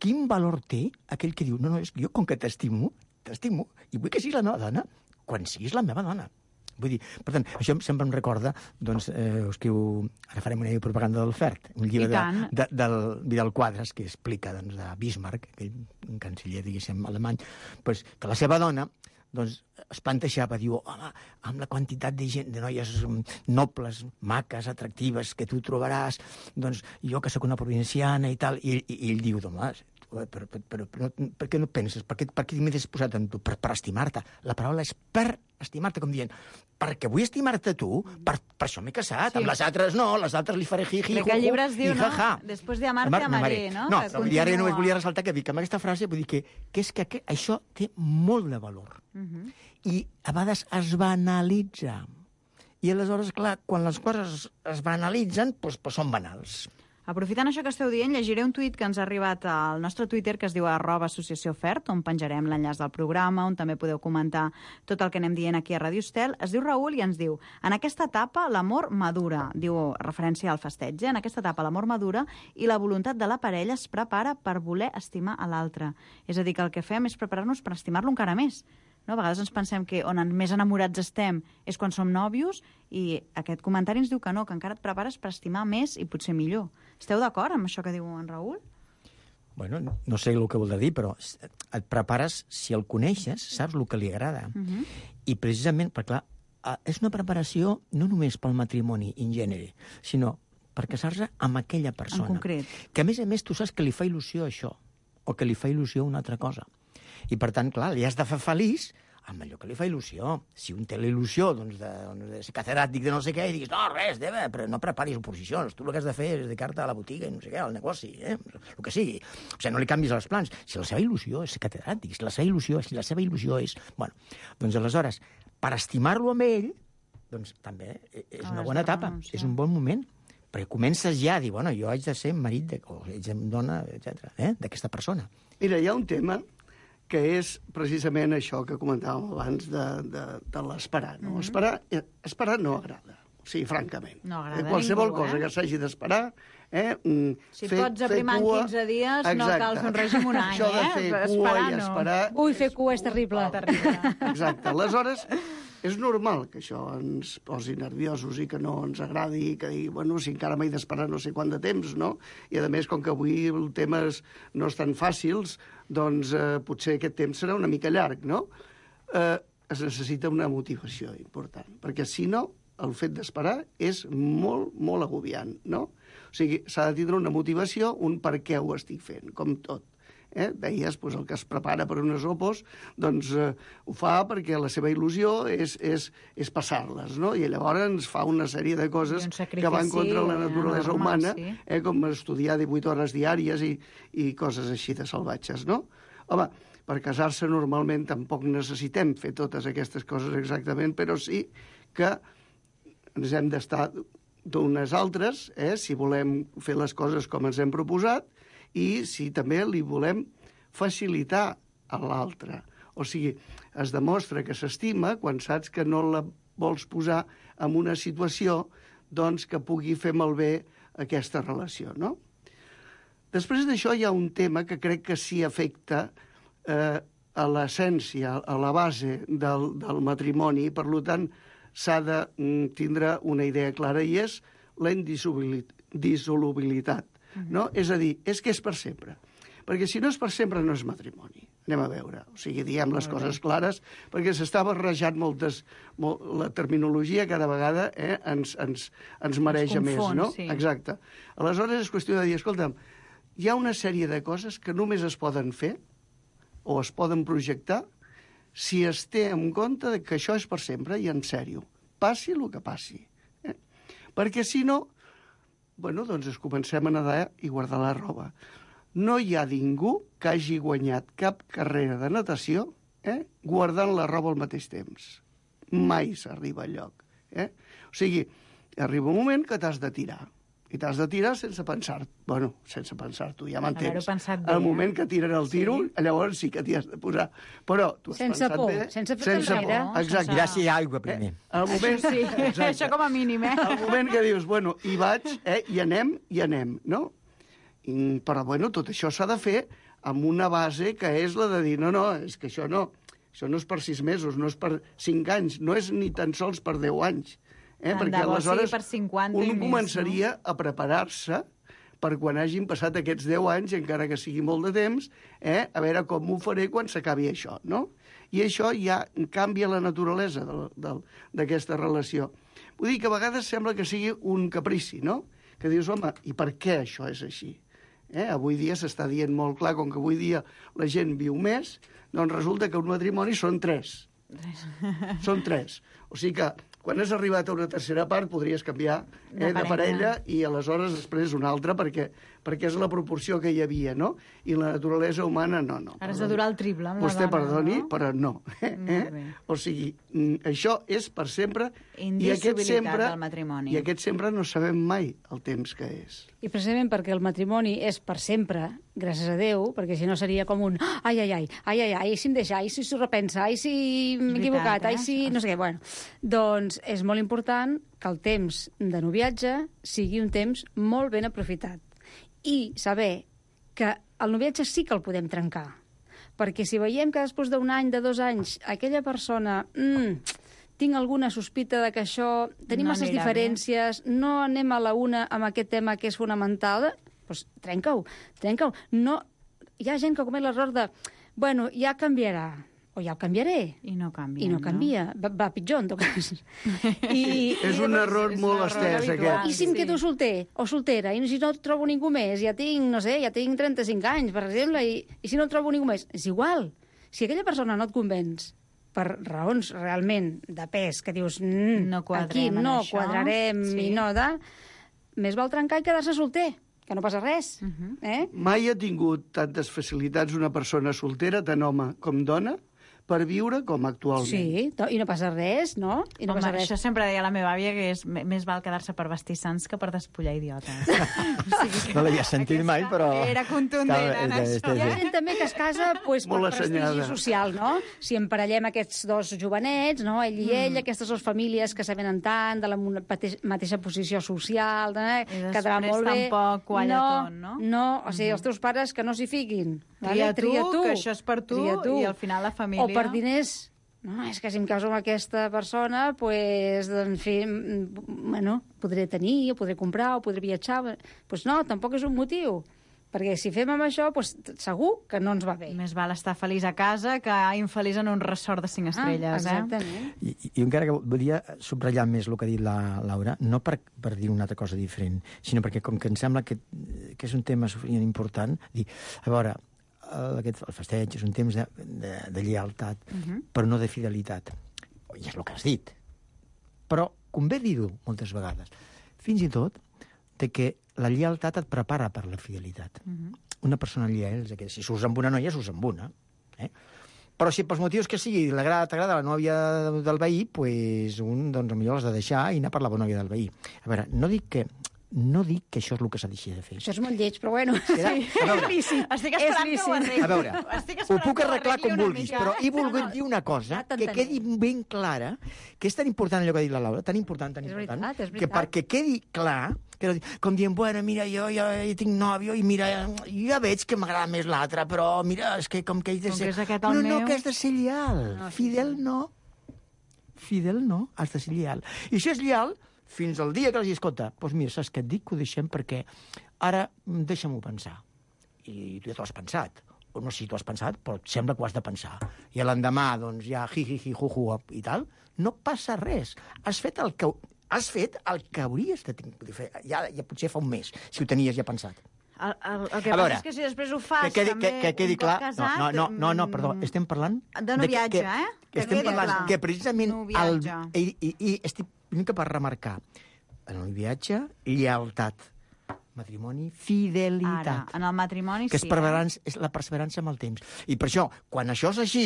Quin valor té aquell que diu, no, no, és que jo com que t'estimo, t'estimo, i vull que siguis la meva dona quan siguis la meva dona. Vull dir, per tant, això sempre em recorda, doncs, eh, us escriu, ara farem una propaganda del Fert, un llibre de, de, del Vidal Quadras, que explica, doncs, de Bismarck, aquell canciller, diguéssim, alemany, doncs, que la seva dona, doncs, es plantejava, diu, home, amb la quantitat de gent, de noies nobles, maques, atractives, que tu trobaràs, doncs, jo que sóc una provinciana i tal, i, i, i ell diu, home, però, però, però, però per què no penses? Per què, per què m'he disposat amb tu? Per, per estimar-te. La paraula és per estimar-te, com dient, perquè vull estimar-te tu, per, per això m'he casat. Sí. Amb les altres no, les altres li faré hi, hi, Crec que el llibre es diu, no? Després d'amar-te, amaré, no? No, però ara només volia ressaltar que dic amb aquesta frase, vull dir que, que és que, que això té molt de valor. Uh -huh. I a vegades es banalitza. I aleshores, clar, quan les coses es banalitzen, doncs, doncs són banals. Aprofitant això que esteu dient, llegiré un tuit que ens ha arribat al nostre Twitter, que es diu arroba associació Fert, on penjarem l'enllaç del programa, on també podeu comentar tot el que anem dient aquí a Ràdio Estel. Es diu Raül i ens diu: en aquesta etapa l'amor madura, diu referència al festeig, en aquesta etapa l'amor madura i la voluntat de la parella es prepara per voler estimar a l'altre. És a dir, que el que fem és preparar-nos per estimar-lo encara més. No? A vegades ens pensem que on més enamorats estem és quan som nòvios, i aquest comentari ens diu que no, que encara et prepares per estimar més i potser millor. Esteu d'acord amb això que diu en Raül? Bueno, no sé el que vol dir, però et prepares, si el coneixes, saps el que li agrada. Uh-huh. I precisament, perquè clar, és una preparació no només pel matrimoni in genere, sinó per casar-se amb aquella persona. En concret. Que a més a més tu saps que li fa il·lusió això, o que li fa il·lusió una altra cosa. I, per tant, clar, li has de fer feliç amb allò que li fa il·lusió. Si un té la il·lusió doncs, de, doncs, de ser catedràtic de no sé què, i diguis, no, res, deva, però no preparis oposicions. Tu el que has de fer és dedicar-te a la botiga i no sé què, al negoci, eh? El que sigui. O sigui, no li canvis els plans. Si la seva il·lusió és ser catedràtic, si la seva il·lusió, si la seva il·lusió és... Bueno, doncs, aleshores, per estimar-lo amb ell, doncs, també és una bona etapa, és un bon moment. Perquè comences ja a dir, bueno, jo haig de ser marit, de, o haig de dona, etcètera, eh? d'aquesta persona. Mira, hi ha un tema que és precisament això que comentàvem abans de, de, de l'esperar. No? Mm -hmm. Esperar, esperar no agrada, o sigui, francament. No agrada qualsevol ningú, cosa eh? que s'hagi d'esperar... Eh? Si fer, pots aprimar en quinze dies, exacte. No cal fer un règim un any, això de fer eh? cua esperar, i esperar... No. Ui, fer cua és terrible. terrible. Exacte. Aleshores, és normal que això ens posi nerviosos i que no ens agradi, i que digui, bueno, si encara m'he d'esperar no sé quant de temps, no? I, a més, com que avui els temes no estan fàcils, doncs eh, potser aquest temps serà una mica llarg, no? Eh, es necessita una motivació important, perquè si no, el fet d'esperar és molt, molt agobiant, no? O sigui, s'ha de tindre una motivació, un per què ho estic fent, com tot. Eh? Deies, doncs, el que es prepara per unes opos, doncs eh, ho fa perquè la seva il·lusió és, és, és passar-les, no? I llavors ens fa una sèrie de coses que van contra la naturalesa normal, humana, sí. eh? Com estudiar divuit hores diàries i, i coses així de salvatges, no? Home, per casar-se normalment tampoc necessitem fer totes aquestes coses exactament, però sí que ens hem d'estar d'unes altres, eh? Si volem fer les coses com ens hem proposat, i si també li volem facilitar a l'altre. O sigui, es demostra que s'estima quan saps que no la vols posar en una situació doncs, que pugui fer malbé aquesta relació, no? Després d'això hi ha un tema que crec que sí afecta eh, a l'essència, a la base del, del matrimoni, per tant, s'ha de tindre una idea clara, i és la indissolubilitat. No? És a dir, és que és per sempre. Perquè si no és per sempre, no és matrimoni. Anem a veure. O sigui, diem les coses clares, perquè s'està barrejant moltes... Molt, la terminologia cada vegada eh, ens, ens, ens mareja més, no? Sí. Exacte. Aleshores és qüestió de dir, escolta'm, hi ha una sèrie de coses que només es poden fer o es poden projectar si es té en compte que això és per sempre i en sèrio. Passi el que passi. Eh? Perquè si no... Bueno, doncs es comencem a nedar i guardar la roba. No hi ha ningú que hagi guanyat cap carrera de natació eh, guardant la roba al mateix temps. Mai s'arriba al lloc. Eh? O sigui, arriba un moment que t'has de tirar. I t'has de tirar sense pensar. Bueno, sense pensar-t'ho, ja m'entens. Al moment que tiren el tiro, sí. Llavors sí que t'hi has de posar. Però tu has sense pensat por, bé. sense por. Sense por, exacte. Mirar si hi ha aigua primer. Eh? Al moment, sí, això com a mínim, eh? Al moment que dius, bueno, hi vaig, eh, i anem, i anem, no? I, però, bueno, tot això s'ha de fer amb una base que és la de dir, no, no, és que això no, això no és per sis mesos, no és per cinc anys, no és ni tan sols per deu anys. Eh? Perquè aleshores per cinquanta un més, començaria no? a preparar-se per quan hagin passat aquests deu anys, encara que sigui molt de temps, eh? A veure com ho faré quan s'acabi això, no? I això ja canvia la naturalesa d'aquesta relació. Vull dir que a vegades sembla que sigui un caprici, no? Que dius, home, i per què això és així? Eh? Avui dia s'està dient molt clar, com que avui dia la gent viu més, doncs resulta que un matrimoni són tres. Són tres. O sigui que quan has arribat a una tercera part podries canviar eh, de, de parella i aleshores després una altra perquè, perquè és la proporció que hi havia, no? I la naturalesa humana no, no. Ara has de durar el triple amb la Vostè dona, perdoni, no? però no. Eh? O sigui, això és per sempre i aquest sempre, del matrimoni. i aquest sempre no sabem mai el temps que és. I precisament perquè el matrimoni és per sempre, gràcies a Déu, perquè si no seria com un ai, ai, ai, ai, ai, ai, si em deixa, ai, si s'ho repensa, ai, si m'he equivocat, ai, si no sé què. Bueno, doncs és molt important que el temps de noviatge sigui un temps molt ben aprofitat. I saber que el noviatge sí que el podem trencar. Perquè si veiem que després d'un any, de dos anys, aquella persona... Mm, tinc alguna sospita de que això... Tenim No masses anirà diferències, no anem a la una amb aquest tema que és fonamental, doncs trenca-ho, trenca-ho. No, hi ha gent que comet l'error de, bueno, ja canviarà, o ja el canviaré. I no canvia, I no canvia, no? Va, va pitjor, en tot cas. I, és un error és molt estès, aquest. I si em quedo solter o soltera, i si no trobo ningú més, ja tinc, no sé, ja tinc trenta-cinc anys, per exemple, i, i si no trobo ningú més, és igual. Si aquella persona no et convenç, per raons realment de pes, que dius, mm, no aquí no això, quadrarem sí. i no de... Més val trencar i quedar-se solter, que no passa res. Uh -huh. eh? Mai ha tingut tantes facilitats una persona soltera, tant home com dona, per viure com actualment. Sí, i no passa res, no? I no Home, passa res. això sempre deia la meva àvia, que és més val quedar-se per vestir sants que per despullar idiotes. O sigui que no l'havia sentit mai, però... Era contundent en això. Hi ha gent també que es casa pues, per Molt prestigi assenyada. social, no? Si emparellem aquests dos jovenets, no? ell i ell, Mm. aquestes dues famílies que s'avenen tant, de la mateixa, mateixa posició social, eh? I quedarà molt bé. tampoc qualla no, tot, no? No, o sigui, els teus pares que no s'hi fiquin. Tria Vale? tu, Tria tu, que això és per tu, Tria tu. i al final la família... O per diners. No, és que si em caso amb aquesta persona, pues, en fi, bueno, podré tenir, o podré comprar, o podré viatjar. Pues no, tampoc és un motiu. Perquè si fem amb això, pues, segur que no ens va bé. Més val estar feliç a casa que infeliç en un resort de cinc estrelles, ah, exactament. eh? I, i encara que volia subratllar més el que ha dit la Laura, no per, per dir una altra cosa diferent, sinó perquè com que em sembla que, que és un tema suficient important, dir, a veure, el, aquest, el festeig és un temps de, de, de lleialtat, uh -huh. però no de fidelitat. I és el que has dit. Però convé dir-ho moltes vegades. Fins i tot de que la lleialtat et prepara per la fidelitat. Uh -huh. Una persona lleial és aquella. Si surts amb una noia, surts amb una. Eh? Però si pels motius que sigui t'agrada la nòvia del veí, pues un, doncs, potser l'has de deixar i anar per la bona nòvia del veí. A veure, no dic que no dic que això és el que s'ha de fer. Això és molt lleig, però bueno. Era, sí. a veure, És lícit. Estic esperant És que ho arregli. a veure, ho puc arreglar com vulguis, però he volgut no. dir una cosa Ja que t'entenem. quedi ben clara, que és tan important allò que ha dit la Laura, tan important, tan És important, veritat, és que veritat. perquè quedi clar, que no, com dient, bueno, mira, jo ja, ja tinc nòvio i mira, jo ja veig que m'agrada més l'altre, però mira, és que com que ell de Com ser... que és aquest no, el no, meu. que has de ser lleial. No, Fidel no. Fidel no, has de ser lleial. I si és lleial, fins al dia que els escolta, doncs mira, saps què et dic? Que ho deixem perquè ara deixa'm-ho pensar. I tu ja t'ho has pensat. O no sé si t'ho has pensat, però et sembla que ho has de pensar. I l'endemà, doncs, ja hi, hi, hi, hu, hu, i tal, no passa res. Has fet el que, has fet el que hauries de fer. Ja, ja potser fa un mes, si ho tenies ja pensat. El, el, el que A passa veure, és que si després ho fas que quedi, també que, que quedi un cop clar... casat... No, no, no, no, perdó, estem parlant... De noviatge, que, eh? Que Que estem quedi parlant clar. que precisament... El, Noviatge. i, i, I estic una mica per remarcar. En el viatge, lleialtat. Matrimoni, Ara, fidelitat. en el matrimoni Que és, sí. perseverança, és la perseverança amb el temps. I per això, quan això és així,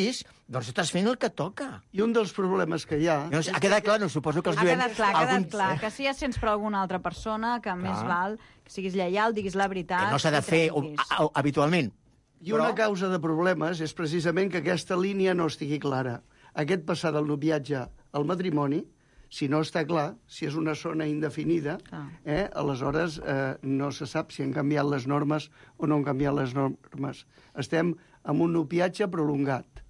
doncs estàs fent el que toca. I un dels problemes que hi ha... No, ha quedat clar, no? Suposo que els Ha lluents... quedat clar, ha quedat alguns- clar, que si ja sents per alguna altra persona, que més Clar. val que siguis lleial, diguis la veritat... Que no s'ha de i fer trenquis. a- a- habitualment. I una causa de problemes és precisament que aquesta línia no estigui clara. Aquest passar del noviatge al matrimoni, si no està clar, si és una zona indefinida, Clar. eh, aleshores eh, no se sap si han canviat les normes o no han canviat les normes. Estem amb un noviatge prolongat,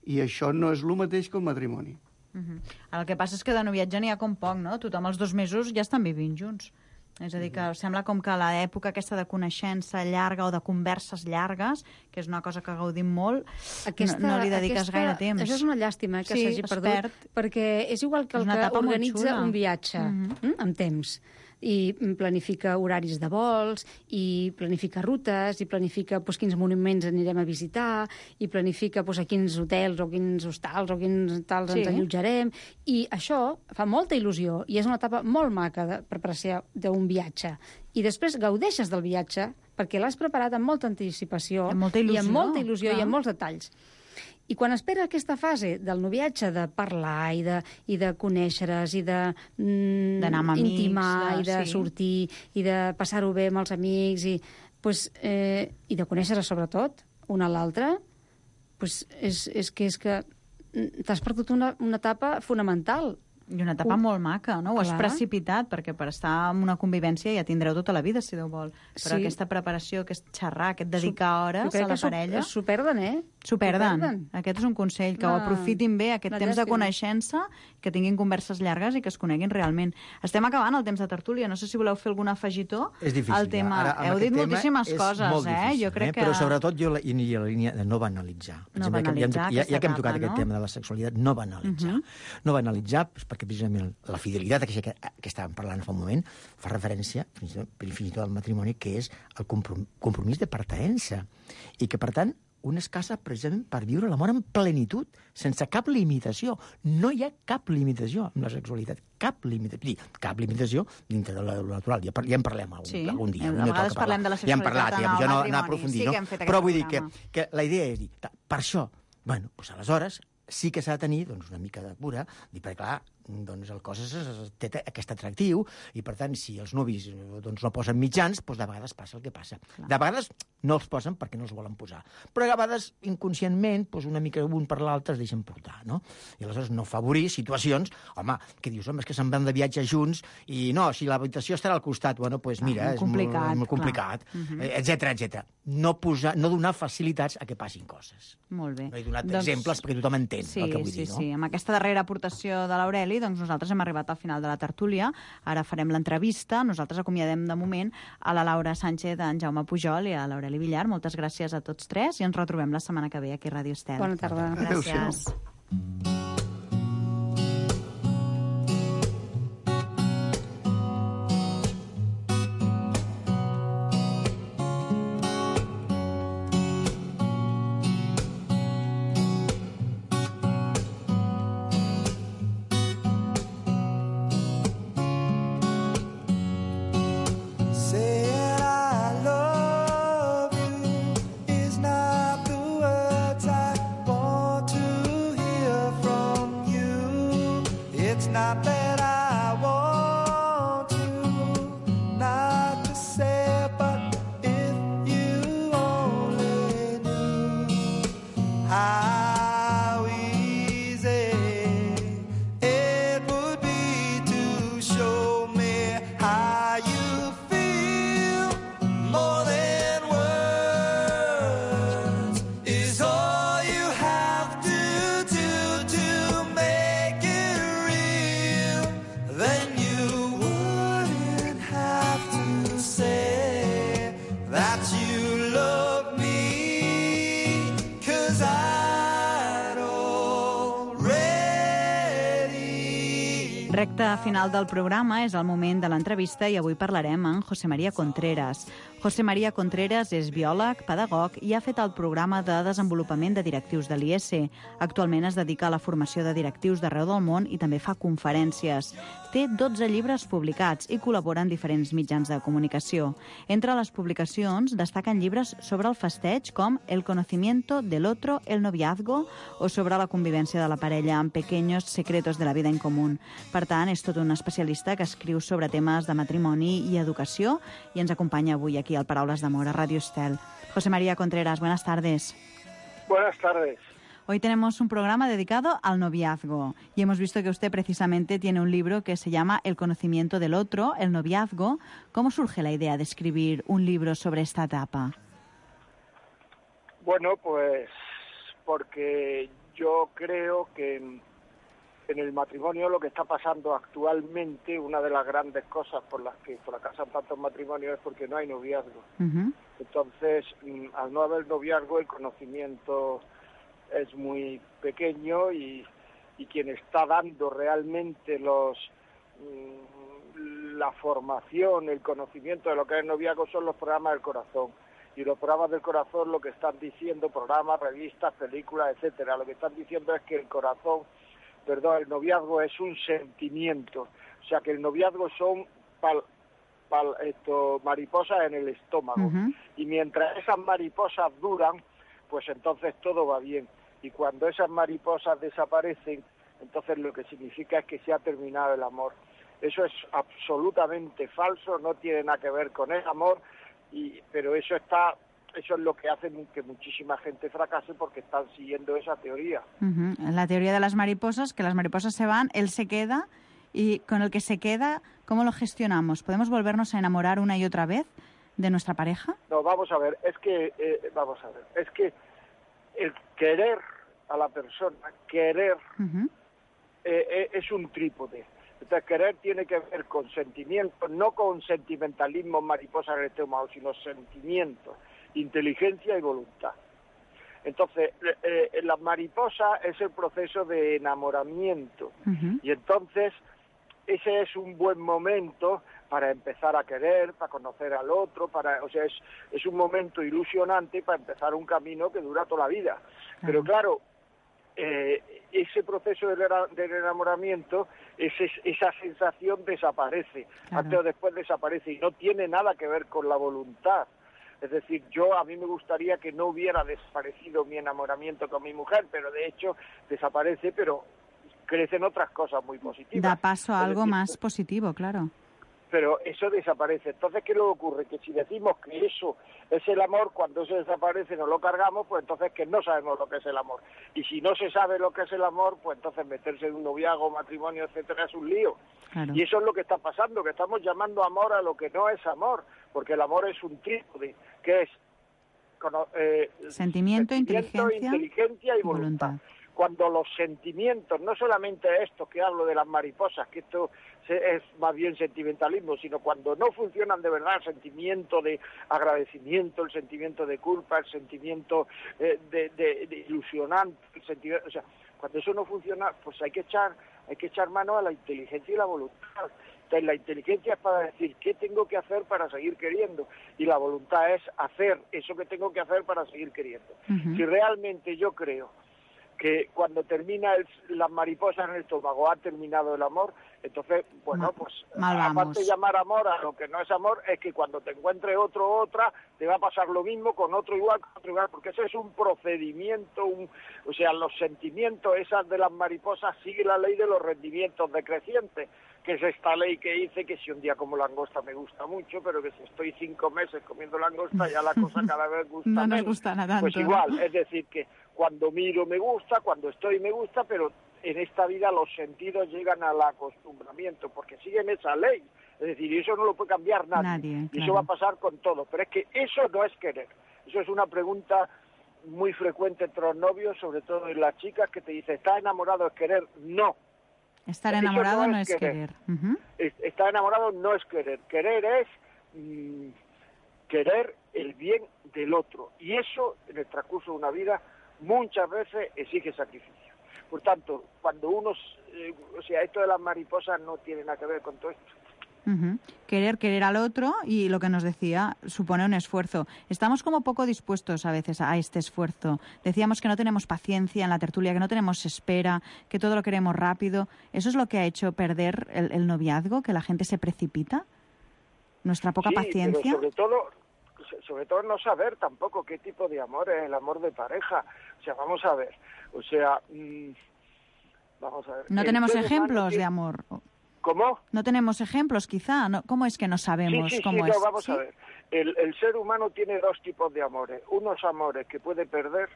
i això no és el mateix que un matrimoni. Uh -huh. El que passa és que de noviatge n'hi ha com poc, no? Tothom els dos mesos ja estan vivint junts. És a dir, que sembla com que l'època aquesta de coneixença llarga o de converses llargues, que és una cosa que gaudim molt, Aquesta, no, no li dediques aquesta, gaire temps. Això és una llàstima que Sí, s'hagi es perdut, perd. perquè és igual que És el una que etapa molt organitza xula. un viatge Mhm. mm, amb temps. i planifica horaris de vols, i planifica rutes, i planifica doncs, quins monuments anirem a visitar, i planifica doncs, a quins hotels o quins hostals o quins tals sí. ens allotjarem. I això fa molta il·lusió i és una etapa molt maca de preparació d'un viatge. I després gaudeixes del viatge perquè l'has preparat amb molta anticipació amb molta il·lusió, i amb molta il·lusió clar. i amb molts detalls. I quan espera aquesta fase del noviatge de parlar i de, i de conèixer-es i de mm, d'anar amb amics, intimar de, i de sí. sortir i de passar-ho bé amb els amics i, pues, eh, i de conèixer-se sobretot una a l'altra, pues, és, és que és que t'has perdut una, una etapa fonamental. I una etapa uh, molt maca, no? Ho has clar. precipitat, perquè per estar en una convivència ja tindreu tota la vida, si Déu vol. Però sí. aquesta preparació, aquest xerrar, aquest dedicar hores a la parella... S'ho perden, eh? S'ho perden. perden. Aquest és un consell, que no, ho aprofitin bé, aquest temps de coneixença, que tinguin converses llargues i que es coneguin realment. Estem acabant el temps de tertúlia, no sé si voleu fer algun afegitó és difícil, al tema. Ara, Heu dit moltíssimes coses, difícil, eh? Jo crec eh? que... Però sobretot jo la, i la línia de no banalitzar. Per no exemple, banalitzar ja, ja que hem tocat etapa, aquest no? tema de la sexualitat, no banalitzar. Uh -huh. No banalitzar, perquè precisament la fidelitat que, que estàvem parlant fa un moment fa referència, fins i tot, fins i tot al matrimoni, que és el compromís de pertinença. I que, per tant, un es casa precisament per viure l'amor en plenitud, sense cap limitació. No hi ha cap limitació amb la sexualitat. Cap limitació. Cap limitació dintre de lo natural. Ja, ja en parlem algun, sí. algun dia. A vegades parlem de la sexualitat ja hem parlat, en ja, el jo no, matrimoni. no aprofundir, sí no? que hem fet Però vull programa. dir que, que la idea és dir, per això, bueno, doncs aleshores sí que s'ha de tenir doncs, una mica de cura, dir, perquè clar, doncs el cos és, és, té aquest atractiu i, per tant, si els nuvis doncs, no posen mitjans, doncs de vegades passa el que passa. Clar. De vegades no els posen perquè no els volen posar. Però a vegades, inconscientment, doncs una mica un per l'altre es deixen portar, no? I aleshores no favorir situacions, home, que dius, home, és que se'n van de viatge junts i no, si l'habitació estarà al costat, bueno, doncs mira, ah, és complicat, molt, molt complicat, uh-huh. etcètera, etcètera. No, posar, no donar facilitats a que passin coses. Molt bé. No he donat doncs... exemples perquè tothom entén sí, el que vull sí, dir, no? Sí, amb aquesta darrera aportació de l'Aureli, doncs nosaltres hem arribat al final de la tertúlia. Ara farem l'entrevista. Nosaltres acomiadem de moment a la Laura Sánchez, a en Jaume Pujol i a l'Aureli Villar. Moltes gràcies a tots tres i ens retrobem la setmana que ve aquí a Ràdio Estel. Bona tarda. Gràcies. Recte final del programa és el moment de l'entrevista i avui parlarem amb José María Contreras. José María Contreras és biòleg, pedagog i ha fet el programa de desenvolupament de directius de l'I E S E. Actualment es dedica a la formació de directius d'arreu del món i també fa conferències. Té dotze llibres publicats i col·labora en diferents mitjans de comunicació. Entre les publicacions destaquen llibres sobre el festeig com El conocimiento del otro, el noviazgo o sobre la convivència de la parella amb pequeños secretos de la vida en común. Per tant, és tot un especialista que escriu sobre temes de matrimoni i educació i ens acompanya avui aquí al Paraules d'Amor a Radio Estel. José María Contreras, buenas tardes. Buenas tardes. Hoy tenemos un programa dedicado al noviazgo y hemos visto que usted precisamente tiene un libro que se llama El conocimiento del otro, el noviazgo. ¿Cómo surge la idea de escribir un libro sobre esta etapa? Bueno, pues porque yo creo que en el matrimonio lo que está pasando actualmente, una de las grandes cosas por las que fracasan tantos matrimonios es porque no hay noviazgo. Uh-huh. Entonces, al no haber noviazgo, el conocimiento es muy pequeño y, y quien está dando realmente los la formación, el conocimiento de lo que es el noviazgo son los programas del corazón. Y los programas del corazón lo que están diciendo, programas, revistas, películas, etcétera, lo que están diciendo es que el corazón, perdón, el noviazgo es un sentimiento. O sea, que el noviazgo son pal, pal, esto, mariposas en el estómago. Uh-huh. Y mientras esas mariposas duran, pues entonces todo va bien. Y cuando esas mariposas desaparecen, entonces lo que significa es que se ha terminado el amor. Eso es absolutamente falso, no tiene nada que ver con el amor, y, pero eso está, eso es lo que hace que muchísima gente fracase porque están siguiendo esa teoría. Uh-huh. La teoría de las mariposas, que las mariposas se van, él se queda, y con el que se queda, ¿cómo lo gestionamos? ¿Podemos volvernos a enamorar una y otra vez de nuestra pareja? No, vamos a ver, es que, eh, vamos a ver, es que el querer a la persona, querer, uh-huh. eh, eh, es un trípode. Entonces, querer tiene que ver con sentimientos, no con sentimentalismo, mariposa en el estómago, sino sentimientos, inteligencia y voluntad. Entonces, eh, eh, la mariposa es el proceso de enamoramiento, uh-huh. y entonces ese es un buen momento para empezar a querer, para conocer al otro, para, o sea, es, es un momento ilusionante para empezar un camino que dura toda la vida. Uh-huh. Pero claro, eh, ese proceso del, del enamoramiento, ese, esa sensación desaparece, claro. Antes o después desaparece, y no tiene nada que ver con la voluntad. Es decir, yo a mí me gustaría que no hubiera desaparecido mi enamoramiento con mi mujer, pero de hecho desaparece, pero crecen otras cosas muy positivas. Da paso a algo decir, más positivo, claro. Pero eso desaparece. Entonces, ¿qué le ocurre? Que si decimos que eso es el amor, cuando eso desaparece nos lo cargamos, pues entonces que no sabemos lo que es el amor. Y si no se sabe lo que es el amor, pues entonces meterse en un noviazgo, matrimonio, etcétera, es un lío. Claro. Y eso es lo que está pasando, que estamos llamando amor a lo que no es amor, porque el amor es un trípode, que es eh, sentimiento, sentimiento inteligencia, inteligencia y voluntad. voluntad. Cuando los sentimientos, no solamente esto que hablo de las mariposas, que esto es más bien sentimentalismo, sino cuando no funcionan de verdad el sentimiento de agradecimiento, el sentimiento de culpa, el sentimiento eh, de, de, de ilusionante, el sentimiento, o sea, cuando eso no funciona, pues hay que echar, hay que echar mano a la inteligencia y la voluntad. Entonces, la inteligencia es para decir qué tengo que hacer para seguir queriendo, y la voluntad es hacer eso que tengo que hacer para seguir queriendo. Uh-huh. Si realmente yo creo que cuando termina el, las mariposas en el estómago ha terminado el amor, entonces, bueno, pues Mal aparte de llamar amor a lo que no es amor, es que cuando te encuentres otro o otra, te va a pasar lo mismo con otro igual, con otro igual, porque ese es un procedimiento, un, o sea, los sentimientos, esas de las mariposas, sigue la ley de los rendimientos decrecientes, que es esta ley que dice que si un día como langosta me gusta mucho, pero que si estoy cinco meses comiendo langosta, ya la cosa cada vez gusta no menos. Nos gusta nada pues tanto, igual, ¿no? Es decir, que cuando miro me gusta, cuando estoy me gusta, pero en esta vida los sentidos llegan al acostumbramiento, porque siguen esa ley. Es decir, y eso no lo puede cambiar nadie. nadie y claro. Eso va a pasar con todo. Pero es que eso no es querer. Eso es una pregunta muy frecuente entre los novios, sobre todo en las chicas, que te dice, ¿estás enamorado es querer? No. Estar enamorado no, no es querer. querer. Uh-huh. Estar enamorado no es querer. Querer es mmm, querer el bien del otro. Y eso, en el transcurso de una vida, muchas veces exige sacrificio. Por tanto, cuando uno, eh, o sea, esto de las mariposas no tiene nada que ver con todo esto. Uh-huh. Querer, querer al otro, y lo que nos decía, supone un esfuerzo. Estamos como poco dispuestos a veces a este esfuerzo. Decíamos que no tenemos paciencia en la tertulia, que no tenemos espera, que todo lo queremos rápido. ¿Eso es lo que ha hecho perder el, el noviazgo, que la gente se precipita? ¿Nuestra poca sí, paciencia? Pero sobre todo, sobre todo no saber tampoco qué tipo de amor es el amor de pareja. O sea, vamos a ver, o sea, mmm, vamos a ver. No tenemos ejemplos de amor. ¿Cómo? No tenemos ejemplos, quizá. ¿No? ¿Cómo es que no sabemos sí, sí, cómo sí, es? No, vamos ¿Sí? a ver. El, el ser humano tiene dos tipos de amores. Unos amores que puede perder,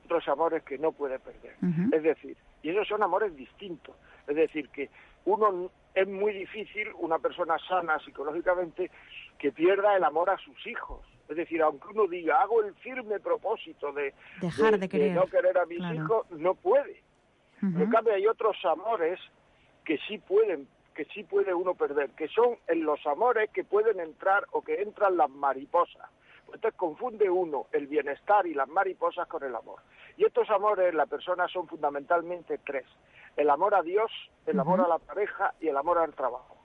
otros amores que no puede perder. Uh-huh. Es decir, y esos son amores distintos. Es decir, que uno es muy difícil, una persona sana psicológicamente, que pierda el amor a sus hijos. Es decir, aunque uno diga, hago el firme propósito de, Dejar de, de, querer. de no querer a mis claro. hijos, no puede. Uh-huh. Pero en cambio hay otros amores que sí pueden que sí puede uno perder, que son en los amores que pueden entrar o que entran las mariposas. Entonces confunde uno el bienestar y las mariposas con el amor. Y estos amores, la persona, son fundamentalmente tres. El amor a Dios, el amor uh-huh. a la pareja y el amor al trabajo.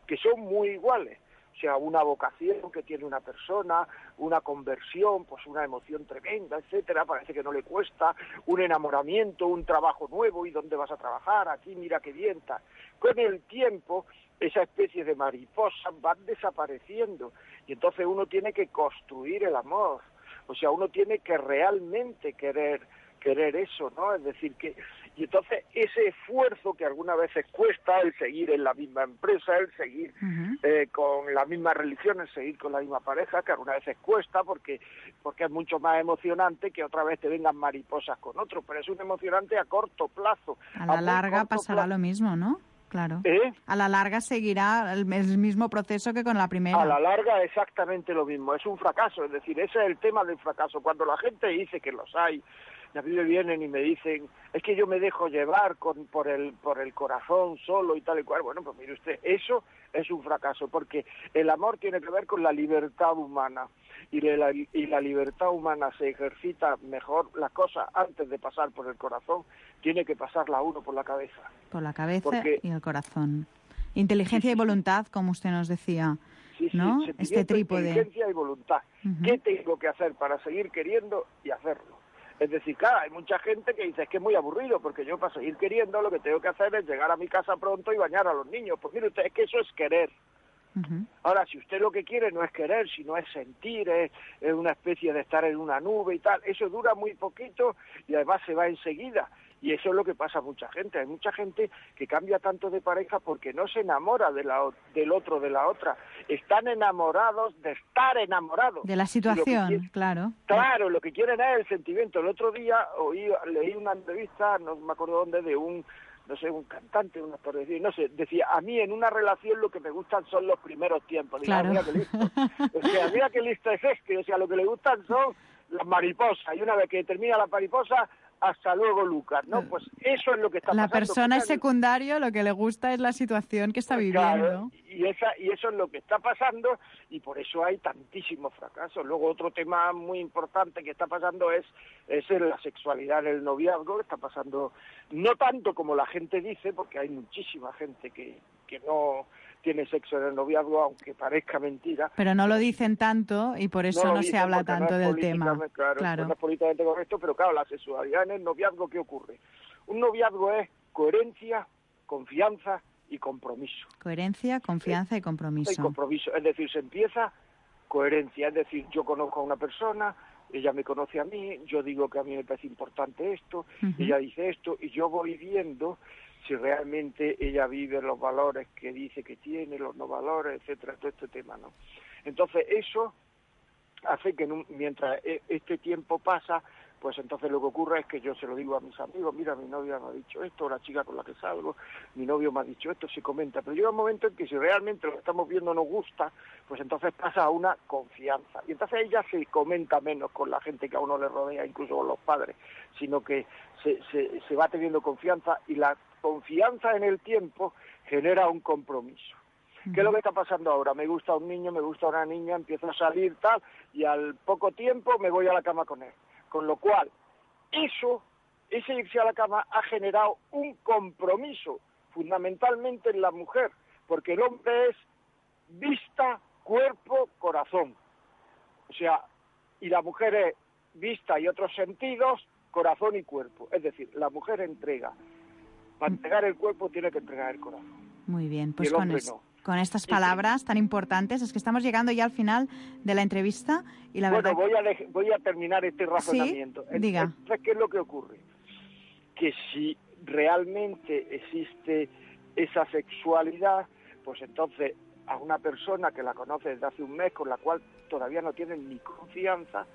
que son muy iguales. O sea, una vocación que tiene una persona, una conversión, pues una emoción tremenda, etcétera, parece que no le cuesta, un enamoramiento, un trabajo nuevo, ¿y dónde vas a trabajar? Aquí, mira qué bien, tal. Con el tiempo, esa especie de mariposas van desapareciendo, y entonces uno tiene que construir el amor, o sea, uno tiene que realmente querer querer eso, ¿no? Es decir, que... Y entonces ese esfuerzo que algunas veces cuesta, el seguir en la misma empresa, el seguir uh-huh. eh, con la misma religión, el seguir con la misma pareja, que algunas veces cuesta porque porque es mucho más emocionante que otra vez te vengan mariposas con otro, pero es un emocionante a corto plazo. A la a larga pasará plazo. Lo mismo, ¿no? Claro. ¿Eh? A la larga seguirá el, el mismo proceso que con la primera. A la larga exactamente lo mismo, es un fracaso, es decir, ese es el tema del fracaso. Cuando la gente dice que los hay, y a mí me vienen y me dicen, es que yo me dejo llevar con, por el por el corazón solo y tal y cual. Bueno, pues mire usted, eso es un fracaso, porque el amor tiene que ver con la libertad humana, y la, y la libertad humana se ejercita mejor, las cosas antes de pasar por el corazón, tiene que pasarla uno por la cabeza. Por la cabeza porque, y el corazón. Inteligencia sí, sí, y voluntad, como usted nos decía, sí, sí, ¿no? Este trípode. Inteligencia y voluntad. Uh-huh. ¿Qué tengo que hacer para seguir queriendo y hacerlo? Es decir, claro, hay mucha gente que dice, es que es muy aburrido, porque yo para seguir queriendo lo que tengo que hacer es llegar a mi casa pronto y bañar a los niños. Pues mire usted, es que eso es querer. Uh-huh. Ahora, si usted lo que quiere no es querer, sino es sentir, es, es una especie de estar en una nube y tal, eso dura muy poquito y además se va enseguida. Y eso es lo que pasa a mucha gente. Hay mucha gente que cambia tanto de pareja porque no se enamora de la, del otro, de la otra. Están enamorados de estar enamorados. De la situación, quieren, claro. Claro, lo que quieren es el sentimiento. El otro día oí, leí una entrevista, no me acuerdo dónde, de un, no sé, un cantante, un actor, no sé, decía, a mí en una relación lo que me gustan son los primeros tiempos. Digo, claro. Mira qué listo. O sea, mira qué listo es este. O sea, lo que le gustan son las mariposas. Y una vez que termina la mariposa, hasta luego, Lucas, ¿no? Pues eso es lo que está la pasando. La persona es secundario, lo que le gusta es la situación que está viviendo. Claro, y, esa, y eso es lo que está pasando, y por eso hay tantísimos fracasos. Luego otro tema muy importante que está pasando es, es la sexualidad en el noviazgo, está pasando no tanto como la gente dice, porque hay muchísima gente que, que no tiene sexo en el noviazgo, aunque parezca mentira. Pero no lo dicen tanto y por eso no, no se habla tanto no del tema. Claro, claro. No es políticamente correcto, pero claro, la sexualidad en el noviazgo, ¿qué ocurre? Un noviazgo es coherencia, confianza y compromiso. Coherencia, confianza eh, y compromiso. Y compromiso, es decir, se empieza coherencia, es decir, yo conozco a una persona, ella me conoce a mí, yo digo que a mí me parece importante esto, uh-huh. ella dice esto, y yo voy viendo si realmente ella vive los valores que dice que tiene, los no valores, etcétera, todo este tema, ¿no? Entonces eso hace que un, mientras este tiempo pasa, pues entonces lo que ocurre es que yo se lo digo a mis amigos, mira, mi novia me ha dicho esto, la chica con la que salgo, mi novio me ha dicho esto, se comenta, pero llega un momento en que si realmente lo que estamos viendo nos gusta, pues entonces pasa a una confianza, y entonces ella se comenta menos con la gente que a uno le rodea, incluso con los padres, sino que se, se, se va teniendo confianza, y la confianza en el tiempo genera un compromiso. ¿Qué es lo que está pasando ahora? Me gusta un niño, me gusta una niña, empiezo a salir tal, y al poco tiempo me voy a la cama con él. Con lo cual, eso, ese irse a la cama ha generado un compromiso, fundamentalmente en la mujer, porque el hombre es vista, cuerpo, corazón. O sea, y la mujer es vista y otros sentidos, corazón y cuerpo. Es decir, la mujer entrega. Para entregar el cuerpo tiene que entregar el corazón. Muy bien, pues y el con hombre es... no. Con estas palabras tan importantes, es que estamos llegando ya al final de la entrevista y la bueno, verdad... voy a, de- voy a terminar este razonamiento. ¿Sí? Diga. Entonces, ¿qué es lo que ocurre? Que si realmente existe esa sexualidad, pues entonces a una persona que la conoce desde hace un mes, con la cual todavía no tienen ni confianza,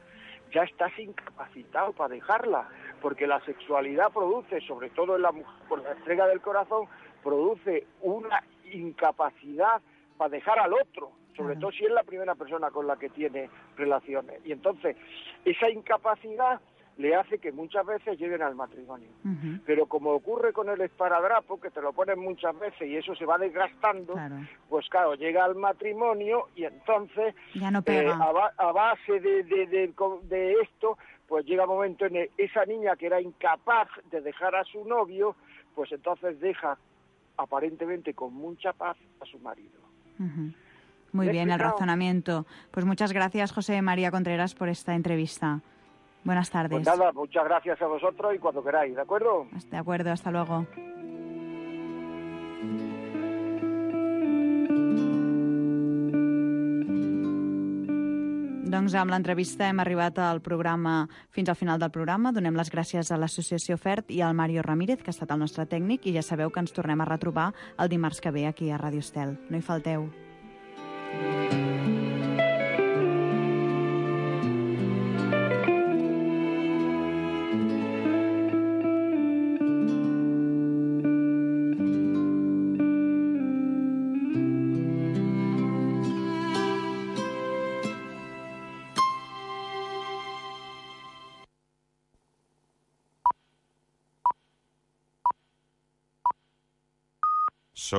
ya estás incapacitado para dejarla, porque la sexualidad produce, sobre todo en la mujer, por la entrega del corazón, produce una incapacidad para dejar al otro, sobre todo si es la primera persona con la que tiene relaciones. Y entonces, esa incapacidad le hace que muchas veces lleguen al matrimonio. Uh-huh. Pero como ocurre con el esparadrapo, que te lo ponen muchas veces y eso se va desgastando, claro. pues claro, llega al matrimonio y entonces, ya no pega. Eh, a, ba- a base de, de, de, de esto, pues llega un momento en el, esa niña que era incapaz de dejar a su novio, pues entonces deja aparentemente con mucha paz a su marido. Uh-huh. Muy bien, el razonamiento. Pues muchas gracias, José María Contreras, por esta entrevista. Buenas tardes. Pues nada, muchas gracias a vosotros y cuando queráis, ¿de acuerdo? De acuerdo, hasta luego. Doncs amb l'entrevista hem arribat al programa, fins al final del programa. Donem les gràcies a l'Associació FERT i al Mario Ramírez, que ha estat el nostre tècnic, i ja sabeu que ens tornem a retrobar el dimarts que ve aquí a Ràdio Estel. No hi falteu. Són